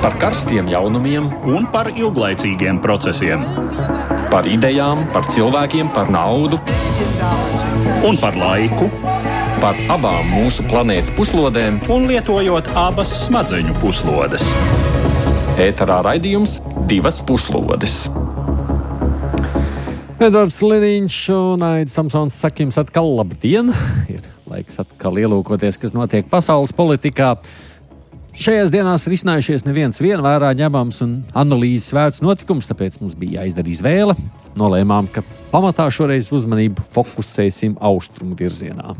Par karstiem jaunumiem un par ilglaicīgiem procesiem. Par idejām, par cilvēkiem, par naudu un par laiku. Par abām mūsu planētas puslodēm un lietojot abas smadzeņu puslodes. Ēterā raidījums Divas puslodes. Edvards Liniņš un Aidis Tomsons saka jums atkal labdien. Ir laiks atkal ielūkoties, kas notiek pasaules politikā. Šajās dienās ir izcinājušies neviens vērā ņemams un analīzes vērts notikums, tāpēc mums bija jāizdara izvēle. Nolēmām, ka pamatā šoreiz uzmanību fokusēsim austrumu virzienā.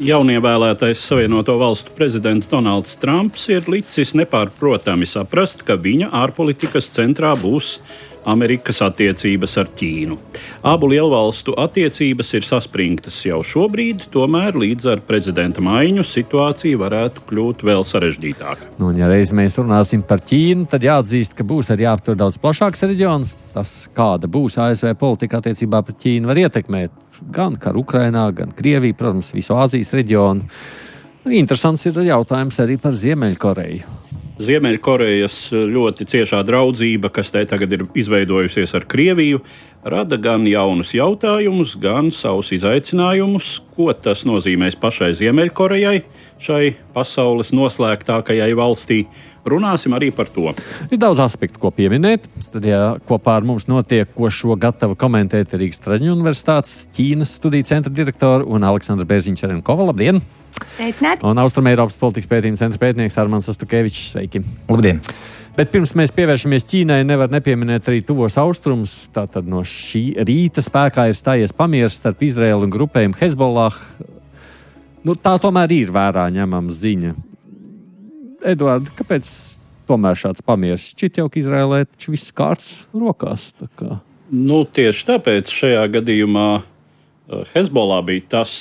Jaunievēlētais Savienoto Valstu prezidents Donalds Trumps ir licis nepārprotami saprast, ka viņa ārpolitikas centrā būs Amerikas attiecības ar Ķīnu. Abu lielvalstu attiecības ir saspringtas jau šobrīd, tomēr līdz ar prezidenta maiņu situācija varētu kļūt vēl sarežģītāka. Ja reiz mēs runāsim par Ķīnu, tad jāatzīst, ka būs arī jāaptver daudz plašāks reģions. Tas, kāda būs ASV politika attiecībā pret Ķīnu, var ietekmēt gan karu Ukrainā, gan Krieviju, protams, visu Āzijas reģionu. Interesants ir jautājums arī par Ziemeļkoreju. Ziemeļkorejas ļoti ciešā draudzība, kas te tagad ir izveidojusies ar Krieviju, rada gan jaunus jautājumus, gan savus izaicinājumus, ko tas nozīmēs pašai Ziemeļkorejai, šai pasaules noslēgtākajai valstī. Runāsim arī par to. Ir daudz aspektu, ko pieminēt. Studijā kopā ar mums notiek, ko šo gatava komentēt Rīgas Traģiņu universitātes Ķīnas studiju centra direktora un Aleksandra Bērziņš-Čerenkova. Labdien! Sveicināti! Un Austrumeiropas politikas pētījuma centra pētnieks Armands Astukevičs. Sveiki! Labdien! Bet pirms mēs pievēršamies Ķīnai, nevar nepieminēt arī tuvos austrumus. Tātad no šī rīta spēkā ir stājies pamieris starp Izraēlu un grupējumu Hezbollah. Tā tomēr ir vērā ņemama ziņa. Eduard, kāpēc tomēr šāds pamieris? Šķiet jau, ka Izraēlē taču viss kārts rokās. Tieši tāpēc šajā gadījumā Hezbollah bija tas,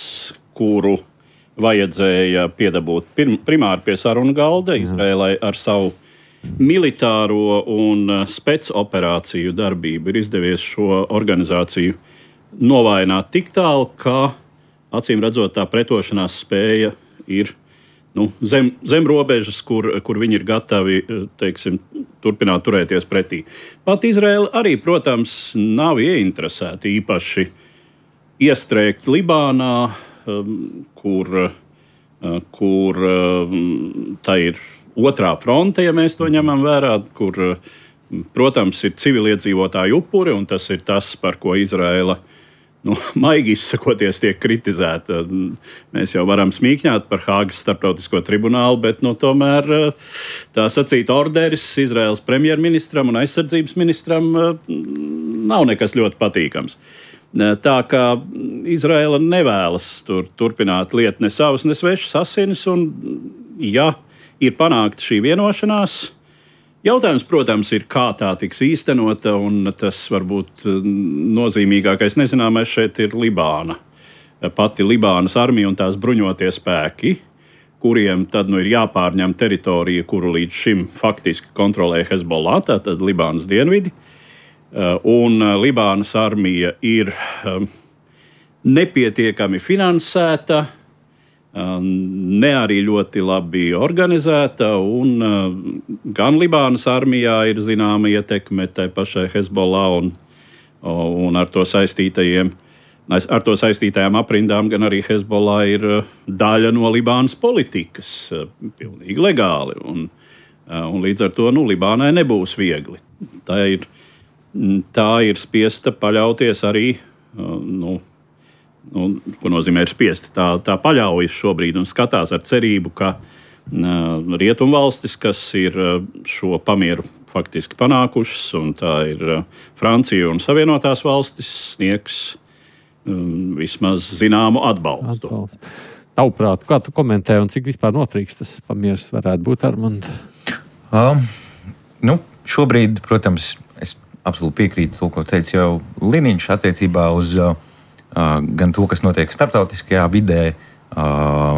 kuru vajadzēja piedabūt primāri pie sarunu galda. Izraēlai ar savu militāro un spec-operāciju darbību ir izdevies šo organizāciju novājināt tik tālu, ka acīm redzot tā pretošanās spēja ir zem robežas, kur viņi ir gatavi, turpināt turēties pretī. Pat Izraēla arī, protams, nav ieinteresēta īpaši iestrēgt Libānā, kur tā ir otrā fronte, ja mēs to ņemam vērā, kur, protams, ir civiliedzīvotāju upuri, un tas ir tas, par ko Izraēla maigi izsakoties, tiek kritizēta. Mēs jau varam smīkņāt par Hāgas starptautisko tribunālu, bet tomēr tā sacīt orderis Izraēlas premjerministram un aizsardzības ministram nav nekas ļoti patīkams. Tā kā Izraēla nevēlas turpināt lietu ne savas, ne svešas asinis, un ja ir panākta šī vienošanās, jautājums, protams, ir, kā tā tiks īstenota, un tas varbūt nozīmīgākais nezināmais šeit ir Libāna. Pati Libānas armija un tās bruņotie spēki, kuriem tad ir jāpārņem teritorija, kuru līdz šim faktiski kontrolē Hezbollah, tātad Libānas dienvidi. Un Libānas armija ir nepietiekami finansēta, ne arī ļoti labi organizēta, un gan Libānas armijā ir zināma ietekme tai pašai Hezbollah un ar to saistītajām aprindām, gan arī Hezbollah ir daļa no Libānas politikas, pilnīgi legāli, un līdz ar to Libānai nebūs viegli. Tā ir spiesta paļauties arī, ko nozīmē ir spiesti. Tā paļaujas šobrīd un skatās ar cerību, ka rietumvalstis, kas ir šo pamieru faktiski panākušas, un tā ir Francija un Savienotās valstis, sniegs vismaz zināmu atbalstu. Tavuprāt, kā tu komentē un cik vispār notrīks tas pamieris varētu būt, Armand? Šobrīd, protams, es absolūti piekrītu to, ko teica jau Liniņš attiecībā uz gan to, kas notiek starptautiskajā vidē,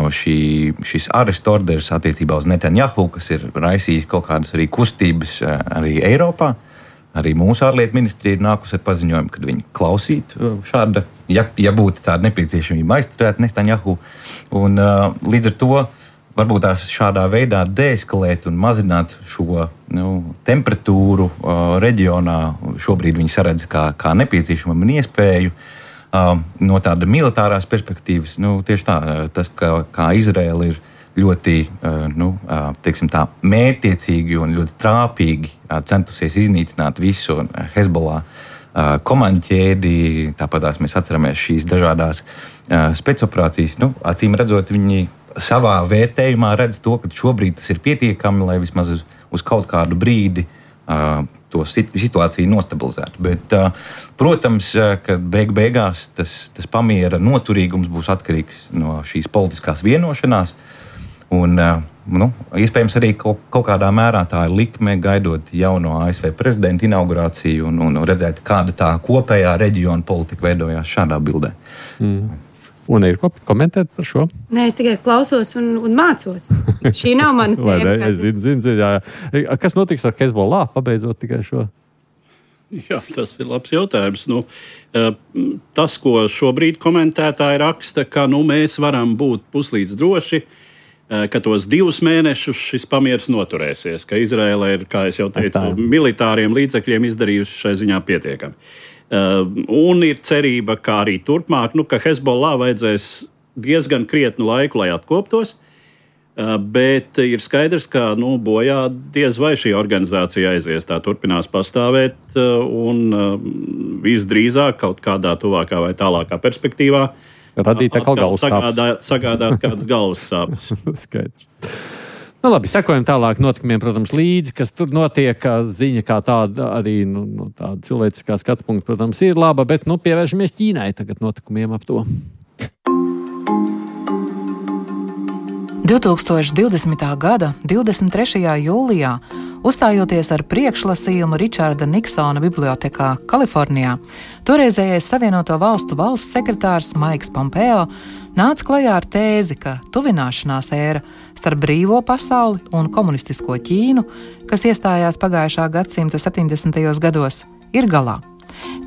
šis arestu orders attiecībā uz Netanjahu, kas ir raisījis kaut kādas arī kustības arī Eiropā. Arī mūsu ārlietu ministrija ir nākusi ar paziņojumu, kad viņi klausītu šāda, ja būtu tāda nepieciešamība aizturēt Netanjahu. Un līdz ar to varbūt tās šādā veidā deeskalēt un mazināt šo temperatūru reģionā. Šobrīd viņi saredz kā nepieciešamu un iespēju. No tāda militārās perspektīvas, tieši tā, tas, kā Izraela ir ļoti mērķtiecīgi un ļoti trāpīgi centusies iznīcināt visu Hezbollah komandu ķēdi. Tāpat mēs atceramies šīs dažādās spēcoperācijas. Acīm redzot, viņi savā vērtējumā redz to, ka šobrīd tas ir pietiekami, lai vismaz uz kaut kādu brīdi to situāciju nostabilizētu. Bet, protams, ka beigās tas pamiera noturīgums būs atkarīgs no šīs politiskās vienošanās. Un, iespējams, arī kaut kādā mērā tā ir likme, gaidot jauno ASV prezidenta inaugurāciju un redzēt, kāda tā kopējā reģiona politika veidojās šādā bildē. Un ir ko komentēt par šo? Nē, es tikai klausos un mācos. Šī nav mana tēma. Es zinu, jā. Kas notiks ar Hezbollah, pabeidzot tikai šo? Jā, tas ir labs jautājums. Tas, ko šobrīd komentētāji raksta, ka mēs varam būt puslīdz droši, ka tos 2 mēnešus šis pamieris noturēsies, ka Izraela ir, kā es jau teicu, militāriem līdzekļiem izdarījusi šai ziņā pietiekami. Un ir cerība, ka arī turpmāk, ka Hezbollah vajadzēs diezgan krietnu laiku, lai atkoptos, bet ir skaidrs, ka bojā diez vai šī organizācija aizies, tā turpinās pastāvēt un visdrīzāk kaut kādā tuvākā vai tālākā perspektīvā radīt atkal galvas sāpes. Sagādāt kādas galvas sāpes. Skaidrs. Labi, sekojam tālāk notikumiem, protams, līdzi, kas tur notiek. Ziņa kā tāda arī tāda cilvēciskā skatu punkta, protams, ir laba, bet pievēršamies Ķīnai tagad notikumiem ap to. 2020. gada 23. jūlijā, uzstājoties ar priekšlasījumu Ričarda Niksona bibliotekā Kalifornijā, toreizējais Savienoto Valstu valsts sekretārs Maiks Pompeo nāca klajā ar tēzi, ka tuvināšanās ēra starp brīvo pasauli un komunistisko Ķīnu, kas iestājās pagājušā gadsimta 70. gados, ir galā.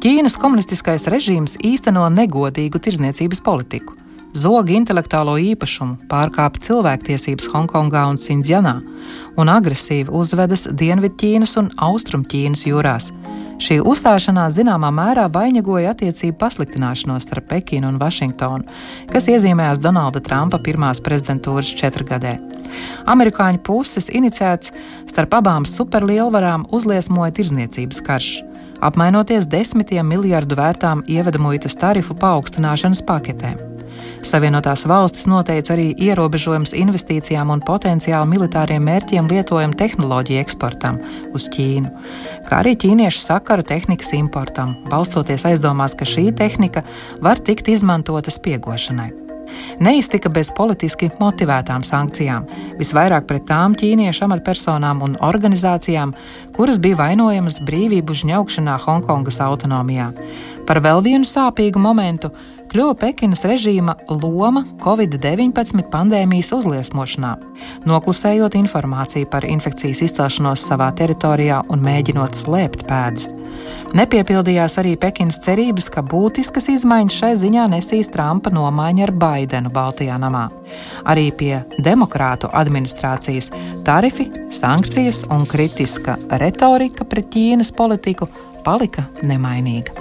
Ķīnas komunistiskais režīms īsteno negodīgu tirdzniecības politiku, zog intelektuālo īpašumu, pārkāpj cilvēktiesības Hongkongā un Sindzjanā un agresīvi uzvedas Dienvidķīnas un Austrumķīnas jūrās. Šī uzstāšanās zināmā mērā vainagoja attiecību pasliktināšanos starp Pekinu un Vašingtonu, kas iezīmējās Donalda Trumpa pirmās prezidentūras 4 gadē. Amerikāņu puses iniciēts starp abām superlielvarām uzliesmoja tirdzniecības karš, apmainoties 10 miljardu vērtām ievedamuitas tarifu paaugstināšanas paketēm. Savienotās valstis noteica arī ierobežojums investīcijām un potenciāli militāriem mērķiem lietojumu tehnoloģiju eksportam uz Ķīnu, kā arī ķīniešu sakaru tehnikas importam, balstoties aizdomās, ka šī tehnika var tikt izmantota spiegošanai. Neiztika bez politiski motivētām sankcijām, visvairāk pret tām ķīniešu amatpersonām un organizācijām, kuras bija vainojamas brīvību žņaukšanā Hongkongas autonomijā. Par vēl vienu sāpīgu momentu kļuva Pekinas režīma loma Covid-19 pandēmijas uzliesmošanā, noklusējot informāciju par infekcijas izcelšanos savā teritorijā un mēģinot slēpt pēdas. Nepiepildījās arī Pekinas cerības, ka būtiskas izmaiņas šai ziņā nesīs Trumpa nomaiņa ar Baidenu Baltajā namā. Arī pie demokrātu administrācijas tarifi, sankcijas un kritiska retorika pret Ķīnas politiku palika nemainīga.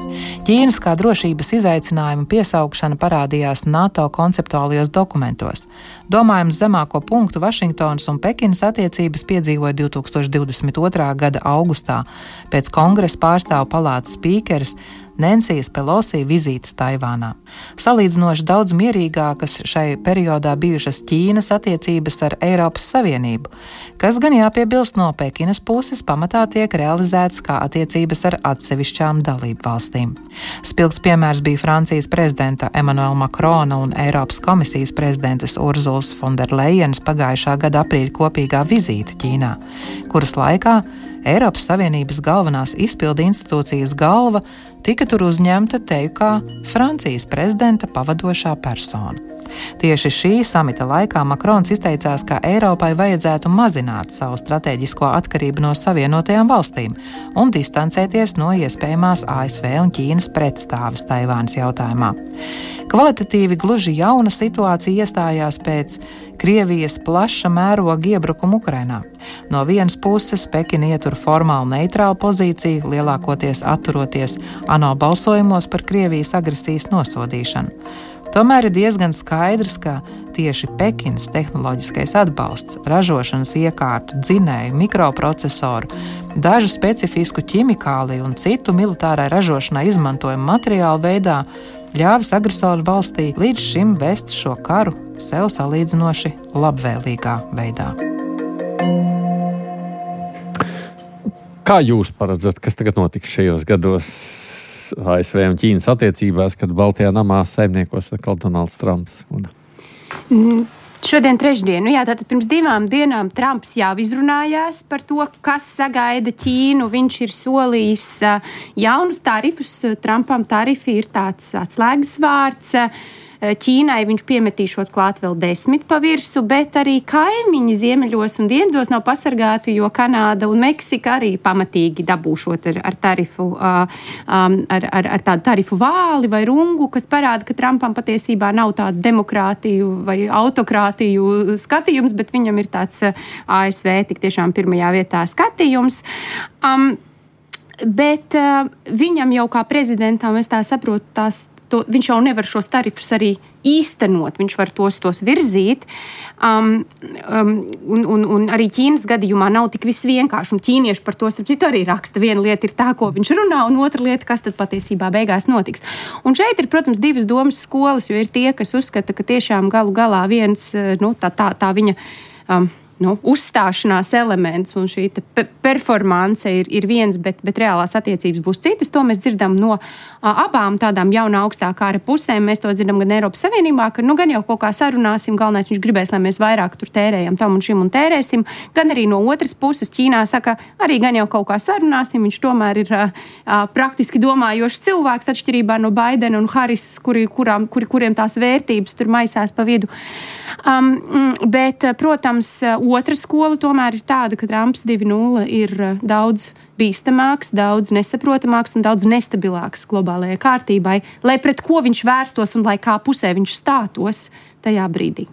Ķīnas kā drošības izaicinājuma piesaukšana parādījās NATO konceptuālajos dokumentos. Domājams zemāko punktu Vašingtonas un Pekinas attiecības piedzīvoja 2022. gada augustā pēc Kongresa pārstāvu palātas spīkeres Nensijas Pelosi vizītes Taivānā. Salīdzinoši daudz mierīgākas šai periodā bijušas Ķīnas attiecības ar Eiropas Savienību, kas gan jāpiebilst no Pekinas puses pamatā tiek realizēts kā attiecības ar atsevišķām dalību valstīm. Spilgts piemērs bija Francijas prezidenta Emmanuela Macrona un Eiropas komisijas prezidentes Urzulas Fonderlejenas pagājušā gada aprīļa kopīgā vizīte Ķīnā, kuras laikā Eiropas Savienības galvenās izpildu institūcijas galva tika tur uzņemta teju kā Francijas prezidenta pavadošā persona. Tieši šī samita laikā Makrons izteicās, ka Eiropai vajadzētu mazināt savu strateģisko atkarību no Savienotajām valstīm un distancēties no iespējamās ASV un Ķīnas pretstāves Taivānas jautājumā. Kvalitatīvi gluži jauna situācija iestājās pēc Krievijas plaša mēroga iebrukuma Ukrainā. No vienas puses Pekina ietur formāli neitrālu pozīciju, lielākoties atturoties ANO balsojumos par Krievijas agresijas nosodīšanu. Tomēr ir diezgan skaidrs, ka tieši Pekinas tehnoloģiskais atbalsts, ražošanas iekārtu, dzinēju, mikroprocesoru, dažu specifisku ķimikāliju un citu militārai ražošanai izmantojumu materiālu veidā ļāvis agresoru valstī līdz šim vest šo karu sev salīdzinoši labvēlīgā veidā. Kā jūs paredzat, kas tagad notiks šajos gados ASV un Ķīnas attiecībās, kad Baltijā namā saimniekos atkal Donalds Trumps? Šodien trešdien, tātad pirms 2 dienām Trumps jau izrunājās par to, kas sagaida Ķīnu. Viņš ir solījis jaunus tarifus. Trumpam tarifi ir tāds atslēgas vārds. Ķīnai viņš piemetīšot klāt vēl 10 pa virsu, bet arī kaimiņi ziemeļos un dienvidos nav pasargāti, jo Kanāda un Meksika arī pamatīgi dabūšot ar tarifu, ar tādu tarifu vāli vai rungu, kas parāda, ka Trumpam patiesībā nav tādu demokrātiju vai autokrātiju skatījums, bet viņam ir tāds ASV tik tiešām pirmajā vietā skatījums. Bet viņam jau kā prezidentam, es tā saprotu, viņš jau nevar šos tarifus arī īstenot, viņš var tos virzīt. Un arī Ķīnas gadījumā nav tik viss vienkārši. Un ķīnieši par to arī raksta. Viena lieta ir tā, ko viņš runā, un otra lieta, kas tad patiesībā beigās notiks. Un šeit ir, protams, 2 domas skolas, jo ir tie, kas uzskata, ka tiešām galu galā viens, tā viņa uzstāšanās elements un šī performance ir viens, bet reālās attiecības būs citas. To mēs dzirdam no abām tādām jaunā augstā kara pusēm. Mēs to dzirdam gan Eiropas Savienībā, ka gan jau kaut kā sarunāsim, galvenais viņš gribēs, lai mēs vairāk tur tērējam tam un šim un tērēsim, gan arī no otras puses Ķīnā saka, arī gan jau kaut kā sarunāsim, viņš tomēr ir praktiski domājošs cilvēks atšķirībā no Baidena un Harris, kuriem tās vērtības tur maisās pa vidu. Bet, protams, otra skola tomēr ir tāda, ka Trumps 2.0 ir daudz bīstamāks, daudz nesaprotamāks un daudz nestabilāks globālajai kārtībai, lai pret ko viņš vērstos un lai kā pusē viņš stātos tajā brīdī.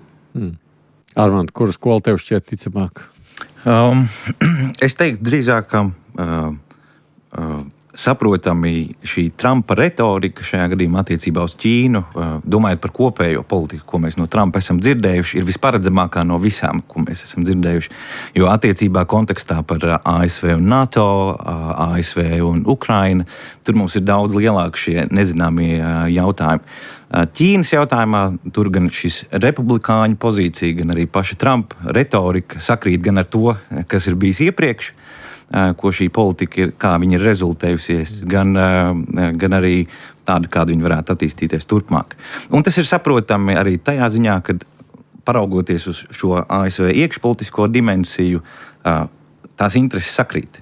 Armand, kura skola tev šķiet ticamāk? Es teiktu drīzāk, ka saprotami šī Trumpa retorika šajā gadījumā attiecībā uz Ķīnu, domājot par kopējo politiku, ko mēs no Trumpa esam dzirdējuši, ir visparedzamākā no visām, ko mēs esam dzirdējuši. Jo attiecībā kontekstā par ASV un NATO, ASV un Ukraina, tur mums ir daudz lielāki šie nezināmie jautājumi. Ķīnas jautājumā tur gan šis republikāņu pozīcija, gan arī paša Trumpa retorika sakrīt gan ar to, kas ir bijis iepriekš, ko šī politika ir, kā viņa ir rezultējusies, gan arī tāda, kāda viņa varētu attīstīties turpmāk. Un tas ir saprotami arī tajā ziņā, kad paraugoties uz šo ASV iekšpolitisko dimensiju, tās intereses sakrīt.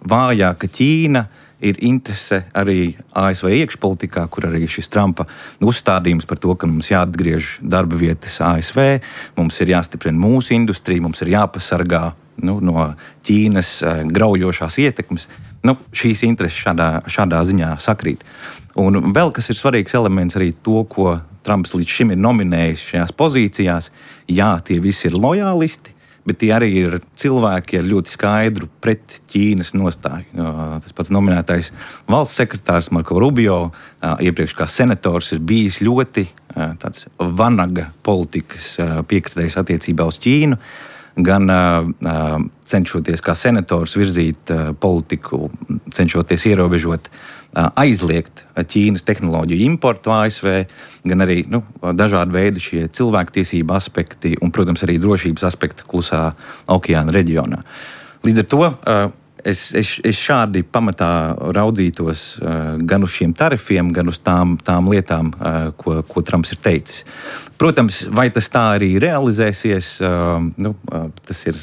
Vājāka Ķīna ir interese arī ASV iekšpolitikā, kur arī šis Trumpa uzstādījums par to, ka mums jāatgriež darba vietas ASV, mums ir jāstiprina mūsu industrija, mums ir jāpasargā no Ķīnas graujošās ietekmes. Šīs intereses šādā ziņā sakrīt. Un vēl kas ir svarīgs elements arī to, ko Trumps līdz šim ir nominējis šajās pozīcijās. Jā, tie visi ir lojālisti, bet tie arī ir cilvēki ar ļoti skaidru pret Ķīnas nostāju. Tas pats nominētais valsts sekretārs Marko Rubio, iepriekš kā senators, ir bijis ļoti tāds vanaga politikas piekritējs attiecībā uz Ķīnu, gan cenšoties kā senators virzīt politiku, cenšoties ierobežot, aizliegt Ķīnas tehnoloģiju importu ASV, gan arī dažādi veidi šie cilvēktiesība aspekti un, protams, arī drošības aspekti klusā okeāna reģionā. Līdz ar to es šādi pamatā raudzītos gan uz šiem tarifiem, gan uz tām lietām, ko Trumps ir teicis. Protams, vai tas tā arī realizēsies, tas ir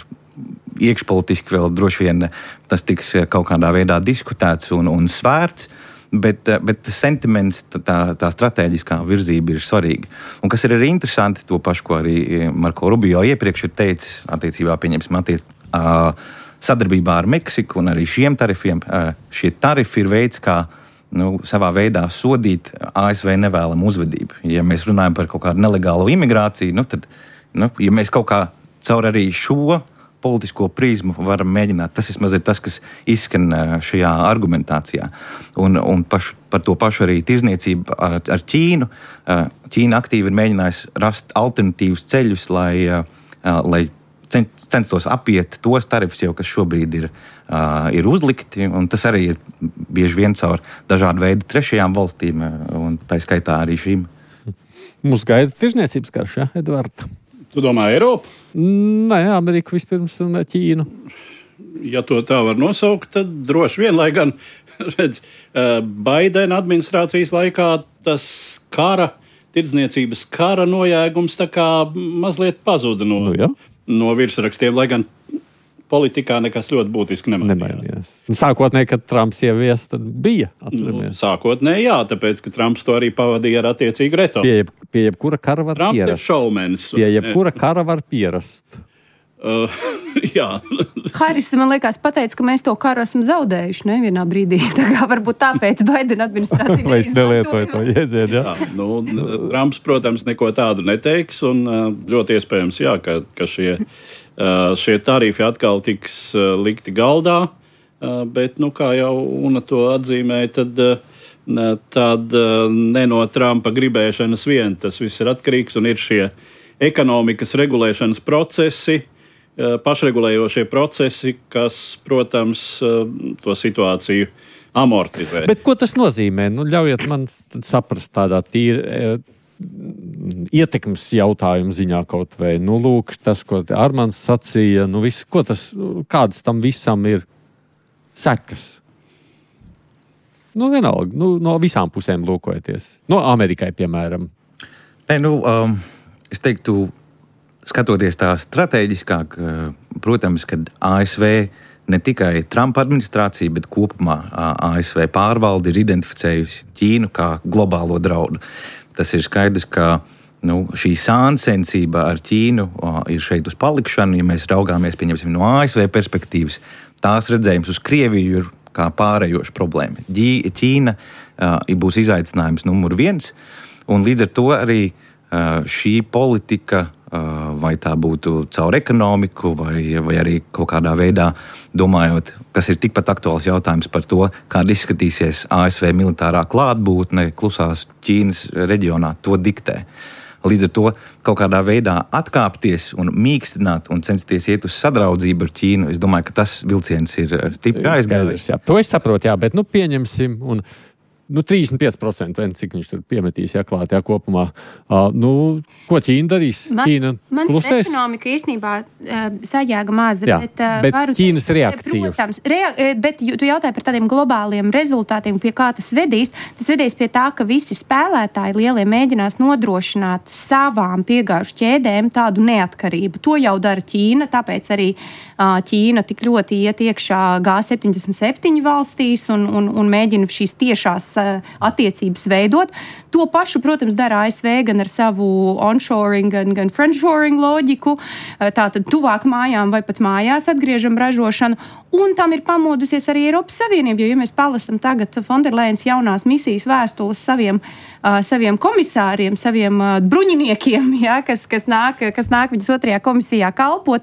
iekšpolitiski vēl droši vien tas tiks kaut kādā veidā diskutēts un svērts, bet tas sentiments, tā strateģiskā virzība ir svarīga. Un kas ir arī interesanti, to pašu, ko arī Marko Rubio iepriekš ir teicis, attiecībā pieņemsim sadarbībā ar Meksiku un arī šiem tarifiem. Šie tarifi ir veids, kā savā veidā sodīt ASV nevēlamu uzvedību. Ja mēs runājam par kaut kādu nelegālu imigrāciju, tad, ja mēs kaut kā caur arī šo politisko prizmu varam mēģināt. Tas vismaz ir tas, kas izskan šajā argumentācijā. Un par to pašu arī tirzniecību ar Ķīnu. Ķīna aktīvi ir mēģinājusi rast alternatīvus ceļus, lai censtos apiet tos tarifus, jau, kas šobrīd ir uzlikti. Un tas arī ir bieži vien caur dažādu veidu trešajām valstīm, un tā skaitā arī šīm. Mums gaida tirzniecības karš, ja, Edvards? Tu domā Eiropu? Nē, Ameriku vispirms un Ķīnu. Ja to tā var nosaukt, tad droši vien, lai gan, redz, Baidena administrācijas laikā tas tirdzniecības kara nojēgums tā kā mazliet pazuda no virsrakstiem, lai gan politikā nekas ļoti būtiski nemainījās. Sākotnēji, kad Trumps ievies, tad bija, atceramies. Sākotnēji, jā, tāpēc, ka Trumps to arī pavadīja ar attiecīgu retoriku. Pie jebkura kara var Trumps pierast. Ir šaumens. Pie jebkura kara var pierast. Jā. Haris, man liekas, pateica, ka mēs to karu esam zaudējuši, ne, vienā brīdī. Tā kā varbūt tāpēc Baidena administrācija Vai es nelietoju to jēdzienu, jā? Trumps, protams, neko tādu neteiks, un ļoti iespējams, jā, ka šie tarifi atkal tiks likti galdā, bet, kā jau Una to atzīmēja, tad ne no Trumpa gribēšanas vien tas viss ir atkarīgs, un ir šie ekonomikas regulēšanas procesi, pašregulējošie procesi, kas, protams, to situāciju amortizē. Bet ko tas nozīmē? Ļaujiet man saprast tādā tīri ietekmes jautājumu ziņā kaut vai. Lūk, tas, ko Armands sacīja, viss, kādas tam visam ir sekas? Vienalga, no visām pusēm lūkojoties. No Amerikai, piemēram. Es teiktu, skatoties tā strateģiskāk, protams, kad ASV ne tikai Trumpa administrācija, bet kopumā ASV pārvalde ir identificējusi Ķīnu kā globālo draudu. Tas ir skaidrs, ka šī sāncensība ar Ķīnu ir šeit uz palikšanu. Ja mēs raugāmies, pieņemsim, no ASV perspektīvas, tās redzējums uz Krieviju ir kā pārējoša problēma. Ķīna būs izaicinājums numur 1, un līdz ar to arī šī politika, vai tā būtu caur ekonomiku, vai arī kaut kādā veidā domājot, kas ir tikpat aktuāls jautājums par to, kāda izskatīsies ASV militārā klātbūtne klusās Ķīnas reģionā, to diktē. Līdz ar to kaut kādā veidā atkāpties un mīkstināt un censties iet uz sadraudzību ar Ķīnu, es domāju, ka tas vilciens ir stipri aizgājis. To es saprotu, jā, bet pieņemsim un 35%, cik viņš tur piemetīs, klāt, kopumā. Ko Ķīna darīs? Ķīna klusēs? Man ekonomika īstenībā sajēga maz. Bet Ķīnas reakcija. Protams, bet tu jautāji par tādiem globāliem rezultātiem, pie kā tas vedīs. Tas vedīs pie tā, ka visi spēlētāji lielie mēģinās nodrošināt savām piegāžu ķēdēm tādu neatkarību. To jau dara Ķīna, tāpēc arī Ķīna tik ļoti iet iekšā G77 valstīs un mēģina šīs tiešās attiecības veidot. To pašu, protams, dara ASV gan ar savu onshoring, gan friendshoring loģiku. Tātad tuvāk mājām vai pat mājās atgriežam ražošanu. Un tam ir pamodusies arī Eiropas Savienība, jo, ja mēs palasam tagad Fonderleins jaunās misijas vēstules saviem komisāriem, saviem bruņiniekiem, kas nāk viņas otrajā komisijā kalpot,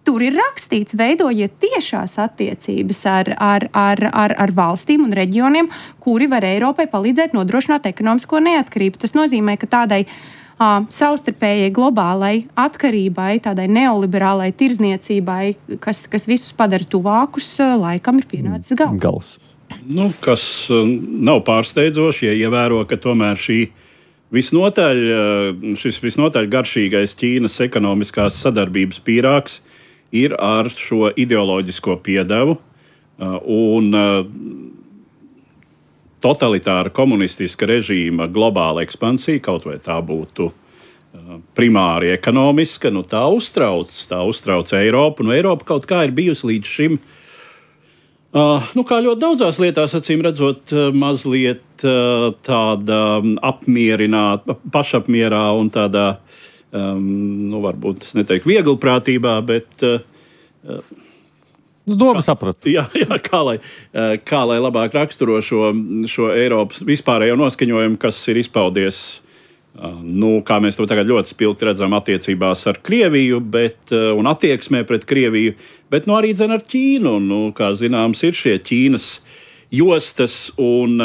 tur ir rakstīts, veidojiet tiešās attiecības ar valstīm un reģioniem, kuri var Eiropai palīdzēt nodrošināt ekonomisko neatkarību. Tas nozīmē, ka tādai savstarpējai globālai atkarībai, tādai neoliberālai tirzniecībai, kas visus padara tuvākus, laikam ir pienācis gals. Kas nav pārsteidzoši, ja ievēro, ka tomēr šis visnotaļ garšīgais Ķīnas ekonomiskās sadarbības pīrāgs ir ar šo ideoloģisko piedevu un totalitāra komunistiska režīma globāla ekspansija, kaut vai tā būtu primāri ekonomiska, tā uztrauc Eiropu. Eiropa kaut kā ir bijusi līdz šim Kā ļoti daudzās lietās, acīm redzot, mazliet tāda apmierināta, pašapmierā un tādā, varbūt es neteiktu vieglprātībā, bet... Doma sapratu. Jā, kā lai labāk raksturo šo Eiropas vispārējo noskaņojumu, kas ir izpaudies, kā mēs to tagad ļoti spilgti redzam attiecībās ar Krieviju, un attieksmē pret Krieviju, bet arī ar Ķīnu. Kā zināms, ir šie Ķīnas jostas un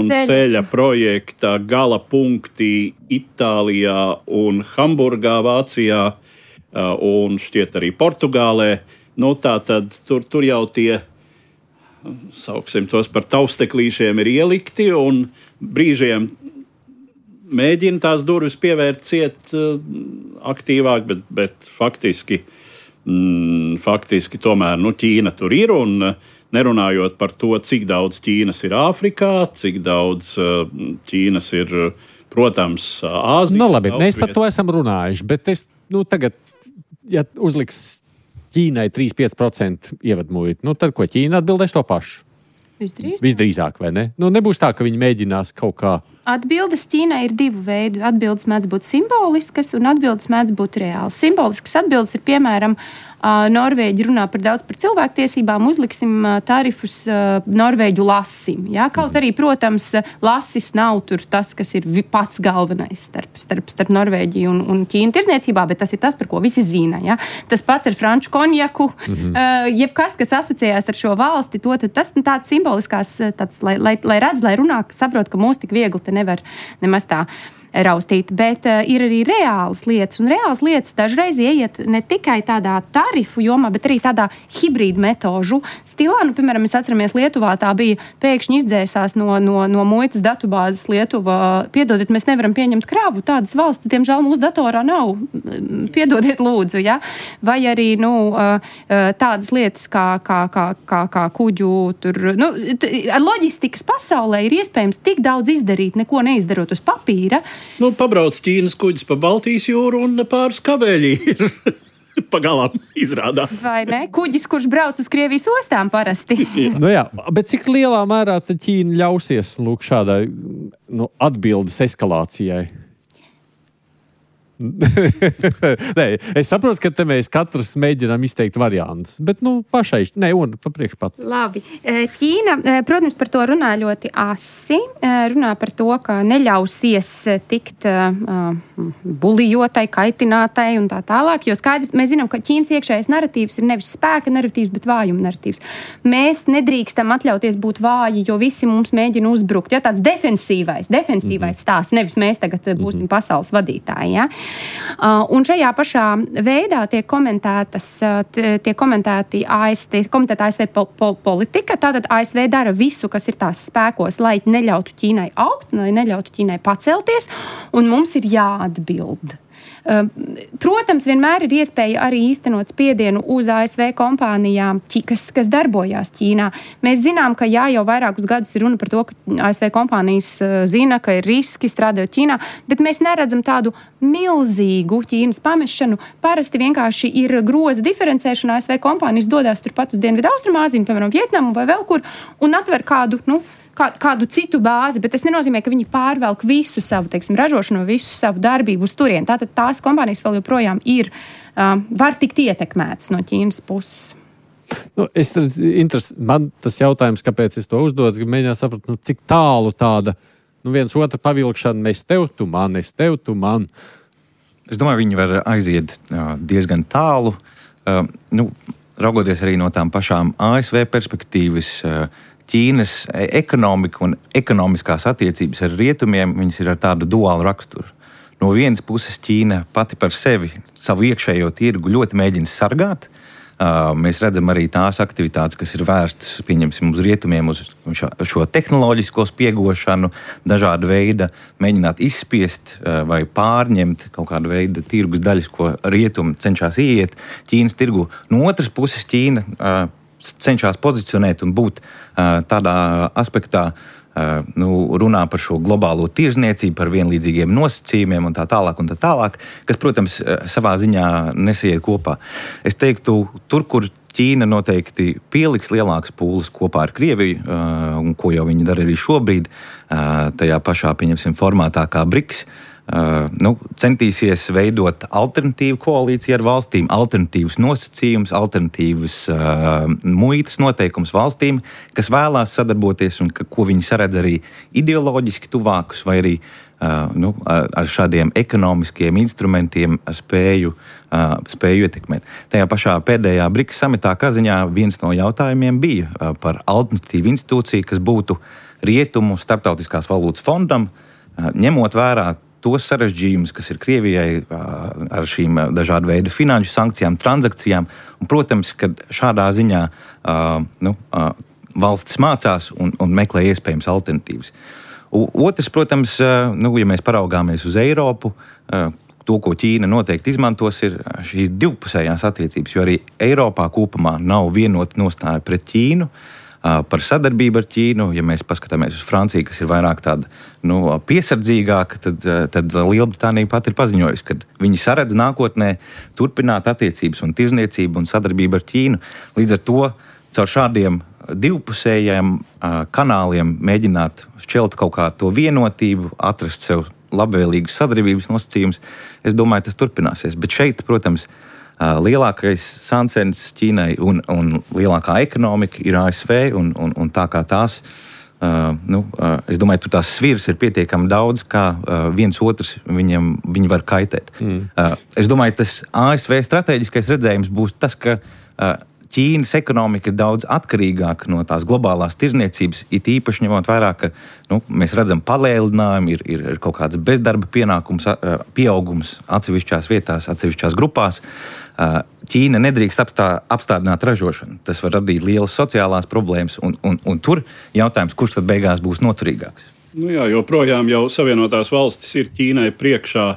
ceļa projekta gala punkti Itālijā un Hamburgā, Vācijā, un šķiet arī Portugālē. Tātad tur jau tie, sauksim tos par tausteklīšiem, ir ielikti un brīžiem mēģina tās durvis pievērt ciet aktīvāk, bet faktiski tomēr Ķīna tur ir, un nerunājot par to, cik daudz Ķīnas ir Āfrikā, cik daudz Ķīnas ir, protams, Āzijā. Labi, mēs par to esam runājuši, bet es tagad, ja uzliks Ķīnai 3-5% ievadmuitu, tad ko Ķīna atbildēs to pašu? Visdrīzāk, vai ne? Nebūs tā, ka viņi mēģinās kaut kā. Atbildes Ķīnai ir divu veidu. Atbildes mēdz būt simboliskas un atbildes mēdz būt reāls. Simboliskas atbildes ir, piemēram, Norvēģi runā par cilvēktiesībām, uzliksim tarifus Norvēģu lasim. Ja? Kaut arī, protams, lasis nav tur tas, kas ir pats galvenais starp Norvēģiju un Ķīnu tirzniecībā, bet tas ir tas, par ko visi zina. Ja? Tas pats ar franču konjaku, jebkas, kas asociējās ar šo valsti, tas tāds simboliskās, lai redz, lai runā, saprot, ka mūs tik viegli te nevar nemaz tā raustīt, bet ir arī reālas lietas, un reālas lietas dažreiz ieiet ne tikai tādā tarifu jomā, bet arī tādā hibrīdu metožu stilā. Piemēram, mēs atceramies Lietuvā, tā bija pēkšņi izdzēsās no muitas datubāzes Lietuva. Piedodiet, mēs nevaram pieņemt krāvu. Tādas valsts, diemžēl, mūsu datorā nav. Piedodiet, lūdzu, ja? Vai arī, tādas lietas kā kuģu tur, ar loģistikas pasaulē ir iespējams tik daudz izdarīt, neko neizdarot uz papīra. Pabrauc Ķīnas kuģis pa Baltijas jūru un pāris kabeļi ir pagalām izrādās. Vai ne? Kuģis, kurš brauc uz Krievijas ostām parasti. Jā, bet cik lielā mērā tad Ķīna ļausies šādai atbildes eskalācijai? Nē, es saprotu, ka te mēs katrs mēģinām izteikt variantus, bet pašai, un pa priekšpat. Labi. Ķīna, protams, par to runā ļoti asi. Runā par to, ka neļausies tikt bulijotai, kaitinātai un tā tālāk, jo skaidrs, mēs zinām, ka Ķīnas iekšējais naratīvs ir nevis spēka naratīvs, bet vājuma naratīvs. Mēs nedrīkstam atļauties būt vāji, jo visi mums mēģina uzbrukt. Ja, tāds defensīvais stāsts, nevis mēs tagad būsim pasaules vadītāji. Ja? Un šajā pašā veidā tiek komentēta ASV politika. Tātad ASV dara visu, kas ir tās spēkos, lai neļautu Ķīnai augt, lai neļautu Ķīnai pacelties, un mums ir jāatbild. Protams, vienmēr ir iespēja arī īstenot spiedienu uz ASV kompānijām, kas darbojās Ķīnā. Mēs zinām, ka jau vairākus gadus ir runa par to, ka ASV kompānijas zina, ka ir riski strādājot Ķīnā, bet mēs neredzam tādu milzīgu Ķīnas pamešanu. Parasti vienkārši ir groza diferencēšana. ASV kompānijas dodās turpat uz Dienvidu Austrumāziju, piemēram, Vietnamu vai vēl kur, un atver kādu citu bāzi, bet tas nenozīmē, ka viņi pārvelk visu savu, ražošanu, visu savu darbību uz turieni. Tātad tās kompānijas vēl joprojām var tikt ietekmētas no Ķīnas puses. Man tas jautājums, kāpēc es to uzdodu, mēģināt saprast, cik tālu tāda viens otra pavilkšana, es tev, tu man. Es domāju, viņi var aiziet diezgan tālu. Raugoties arī no tām pašām ASV perspektīvas, Ķīnas ekonomika un ekonomiskās attiecības ar rietumiem, viņas ir ar tādu duālu raksturu. No vienas puses Ķīna pati par sevi savu iekšējo tirgu ļoti mēģina sargāt. Mēs redzam arī tās aktivitātes, kas ir vērstas, pieņemsim, uz rietumiem, uz šo tehnoloģisko spiegošanu, dažāda veida mēģināt izspiest vai pārņemt kaut kādu veidu tirgus daļas, ko rietumi cenšas ieiet Ķīnas tirgu. No otras puses Ķīna cenšas pozicionēt un būt tādā aspektā, runā par šo globālo tirzniecību, par vienlīdzīgiem nosacījumiem un tā tālāk, kas, protams, savā ziņā nesiet kopā. Es teiktu, tur, kur Ķīna noteikti pieliks lielākas pūles kopā ar Krieviju, un ko jau viņi dara arī šobrīd, tajā pašā, pieņemsim, formātā kā BRICS. Centīsies veidot alternatīvu koalīciju ar valstīm, alternatīvas nosacījumus, alternatīvas muitas noteikumus valstīm, kas vēlās sadarboties un ko viņi saredz arī ideoloģiski tuvākus vai arī ar šādiem ekonomiskiem instrumentiem spēju ietekmēt. Tajā pašā pēdējā BRICS samitā Kazaņā viens no jautājumiem bija par alternatīvu institūciju, kas būtu Rietumu starptautiskās valūtas fondam, ņemot vērā tos sarežģījumus, kas ir Krievijai ar šīm dažādu veidu finanšu sankcijām, transakcijām. Un, protams, ka šādā ziņā valstis mācās un meklē iespējams alternatīvas. Otrs, protams, ja mēs paraugāmies uz Eiropu, to, ko Ķīna noteikti izmantos, ir šīs divpusējās attiecības, jo arī Eiropā kopumā nav vienota nostāja pret Ķīnu. Par sadarbību ar Ķīnu, ja mēs paskatāmies uz Franciju, kas ir vairāk tāda piesardzīgāka, tad Lielbritānija pat ir paziņojusi, ka viņi saredz nākotnē turpināt attiecības un tirzniecību un sadarbību ar Ķīnu. Līdz ar to caur šādiem divpusējiem kanāliem mēģināt šķelt kaut kā to vienotību, atrast sev labvēlīgus sadarbības nosacījumus. Es domāju, tas turpināsies. Bet šeit, protams, lielākais sancens Ķīnai un lielākā ekonomika ir ASV, un tā kā tās, es domāju, tur tās sviras ir pietiekami daudz, kā viens otrs viņi var kaitēt. Es domāju, tas ASV strateģiskais redzējums būs tas, ka Ķīnas ekonomika ir daudz atkarīgāka no tās globālās tirzniecības, it īpaši ņemot vērā, ka mēs redzam palēlinājumu, ir kaut kāds bezdarba pieaugums atsevišķās vietās, atsevišķās grupās. Ķīna nedrīkst apstādināt ražošanu. Tas var radīt lielas sociālās problēmas, un tur jautājums, kurš tad beigās būs noturīgāks? Joprojām jau Savienotās valstis ir Ķīnai priekšā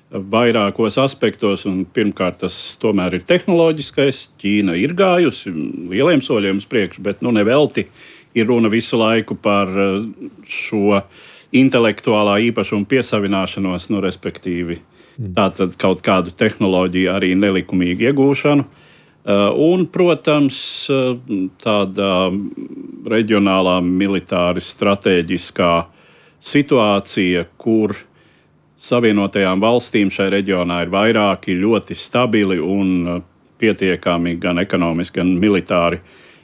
vairākos aspektos, un pirmkārt tas tomēr ir tehnoloģiskais. Ķīna ir gājusi lieliem soļiem uz priekšu, bet nevelti ir runa visu laiku par šo intelektuālā īpašuma piesavināšanos, respektīvi tātad kaut kādu tehnoloģiju arī nelikumīgu iegūšanu. Un, protams, tāda reģionālā militāri strateģiskā situācija, kur Savienotajām valstīm šai reģionā ir vairāki ļoti stabili un pietiekami gan ekonomiski, gan militāri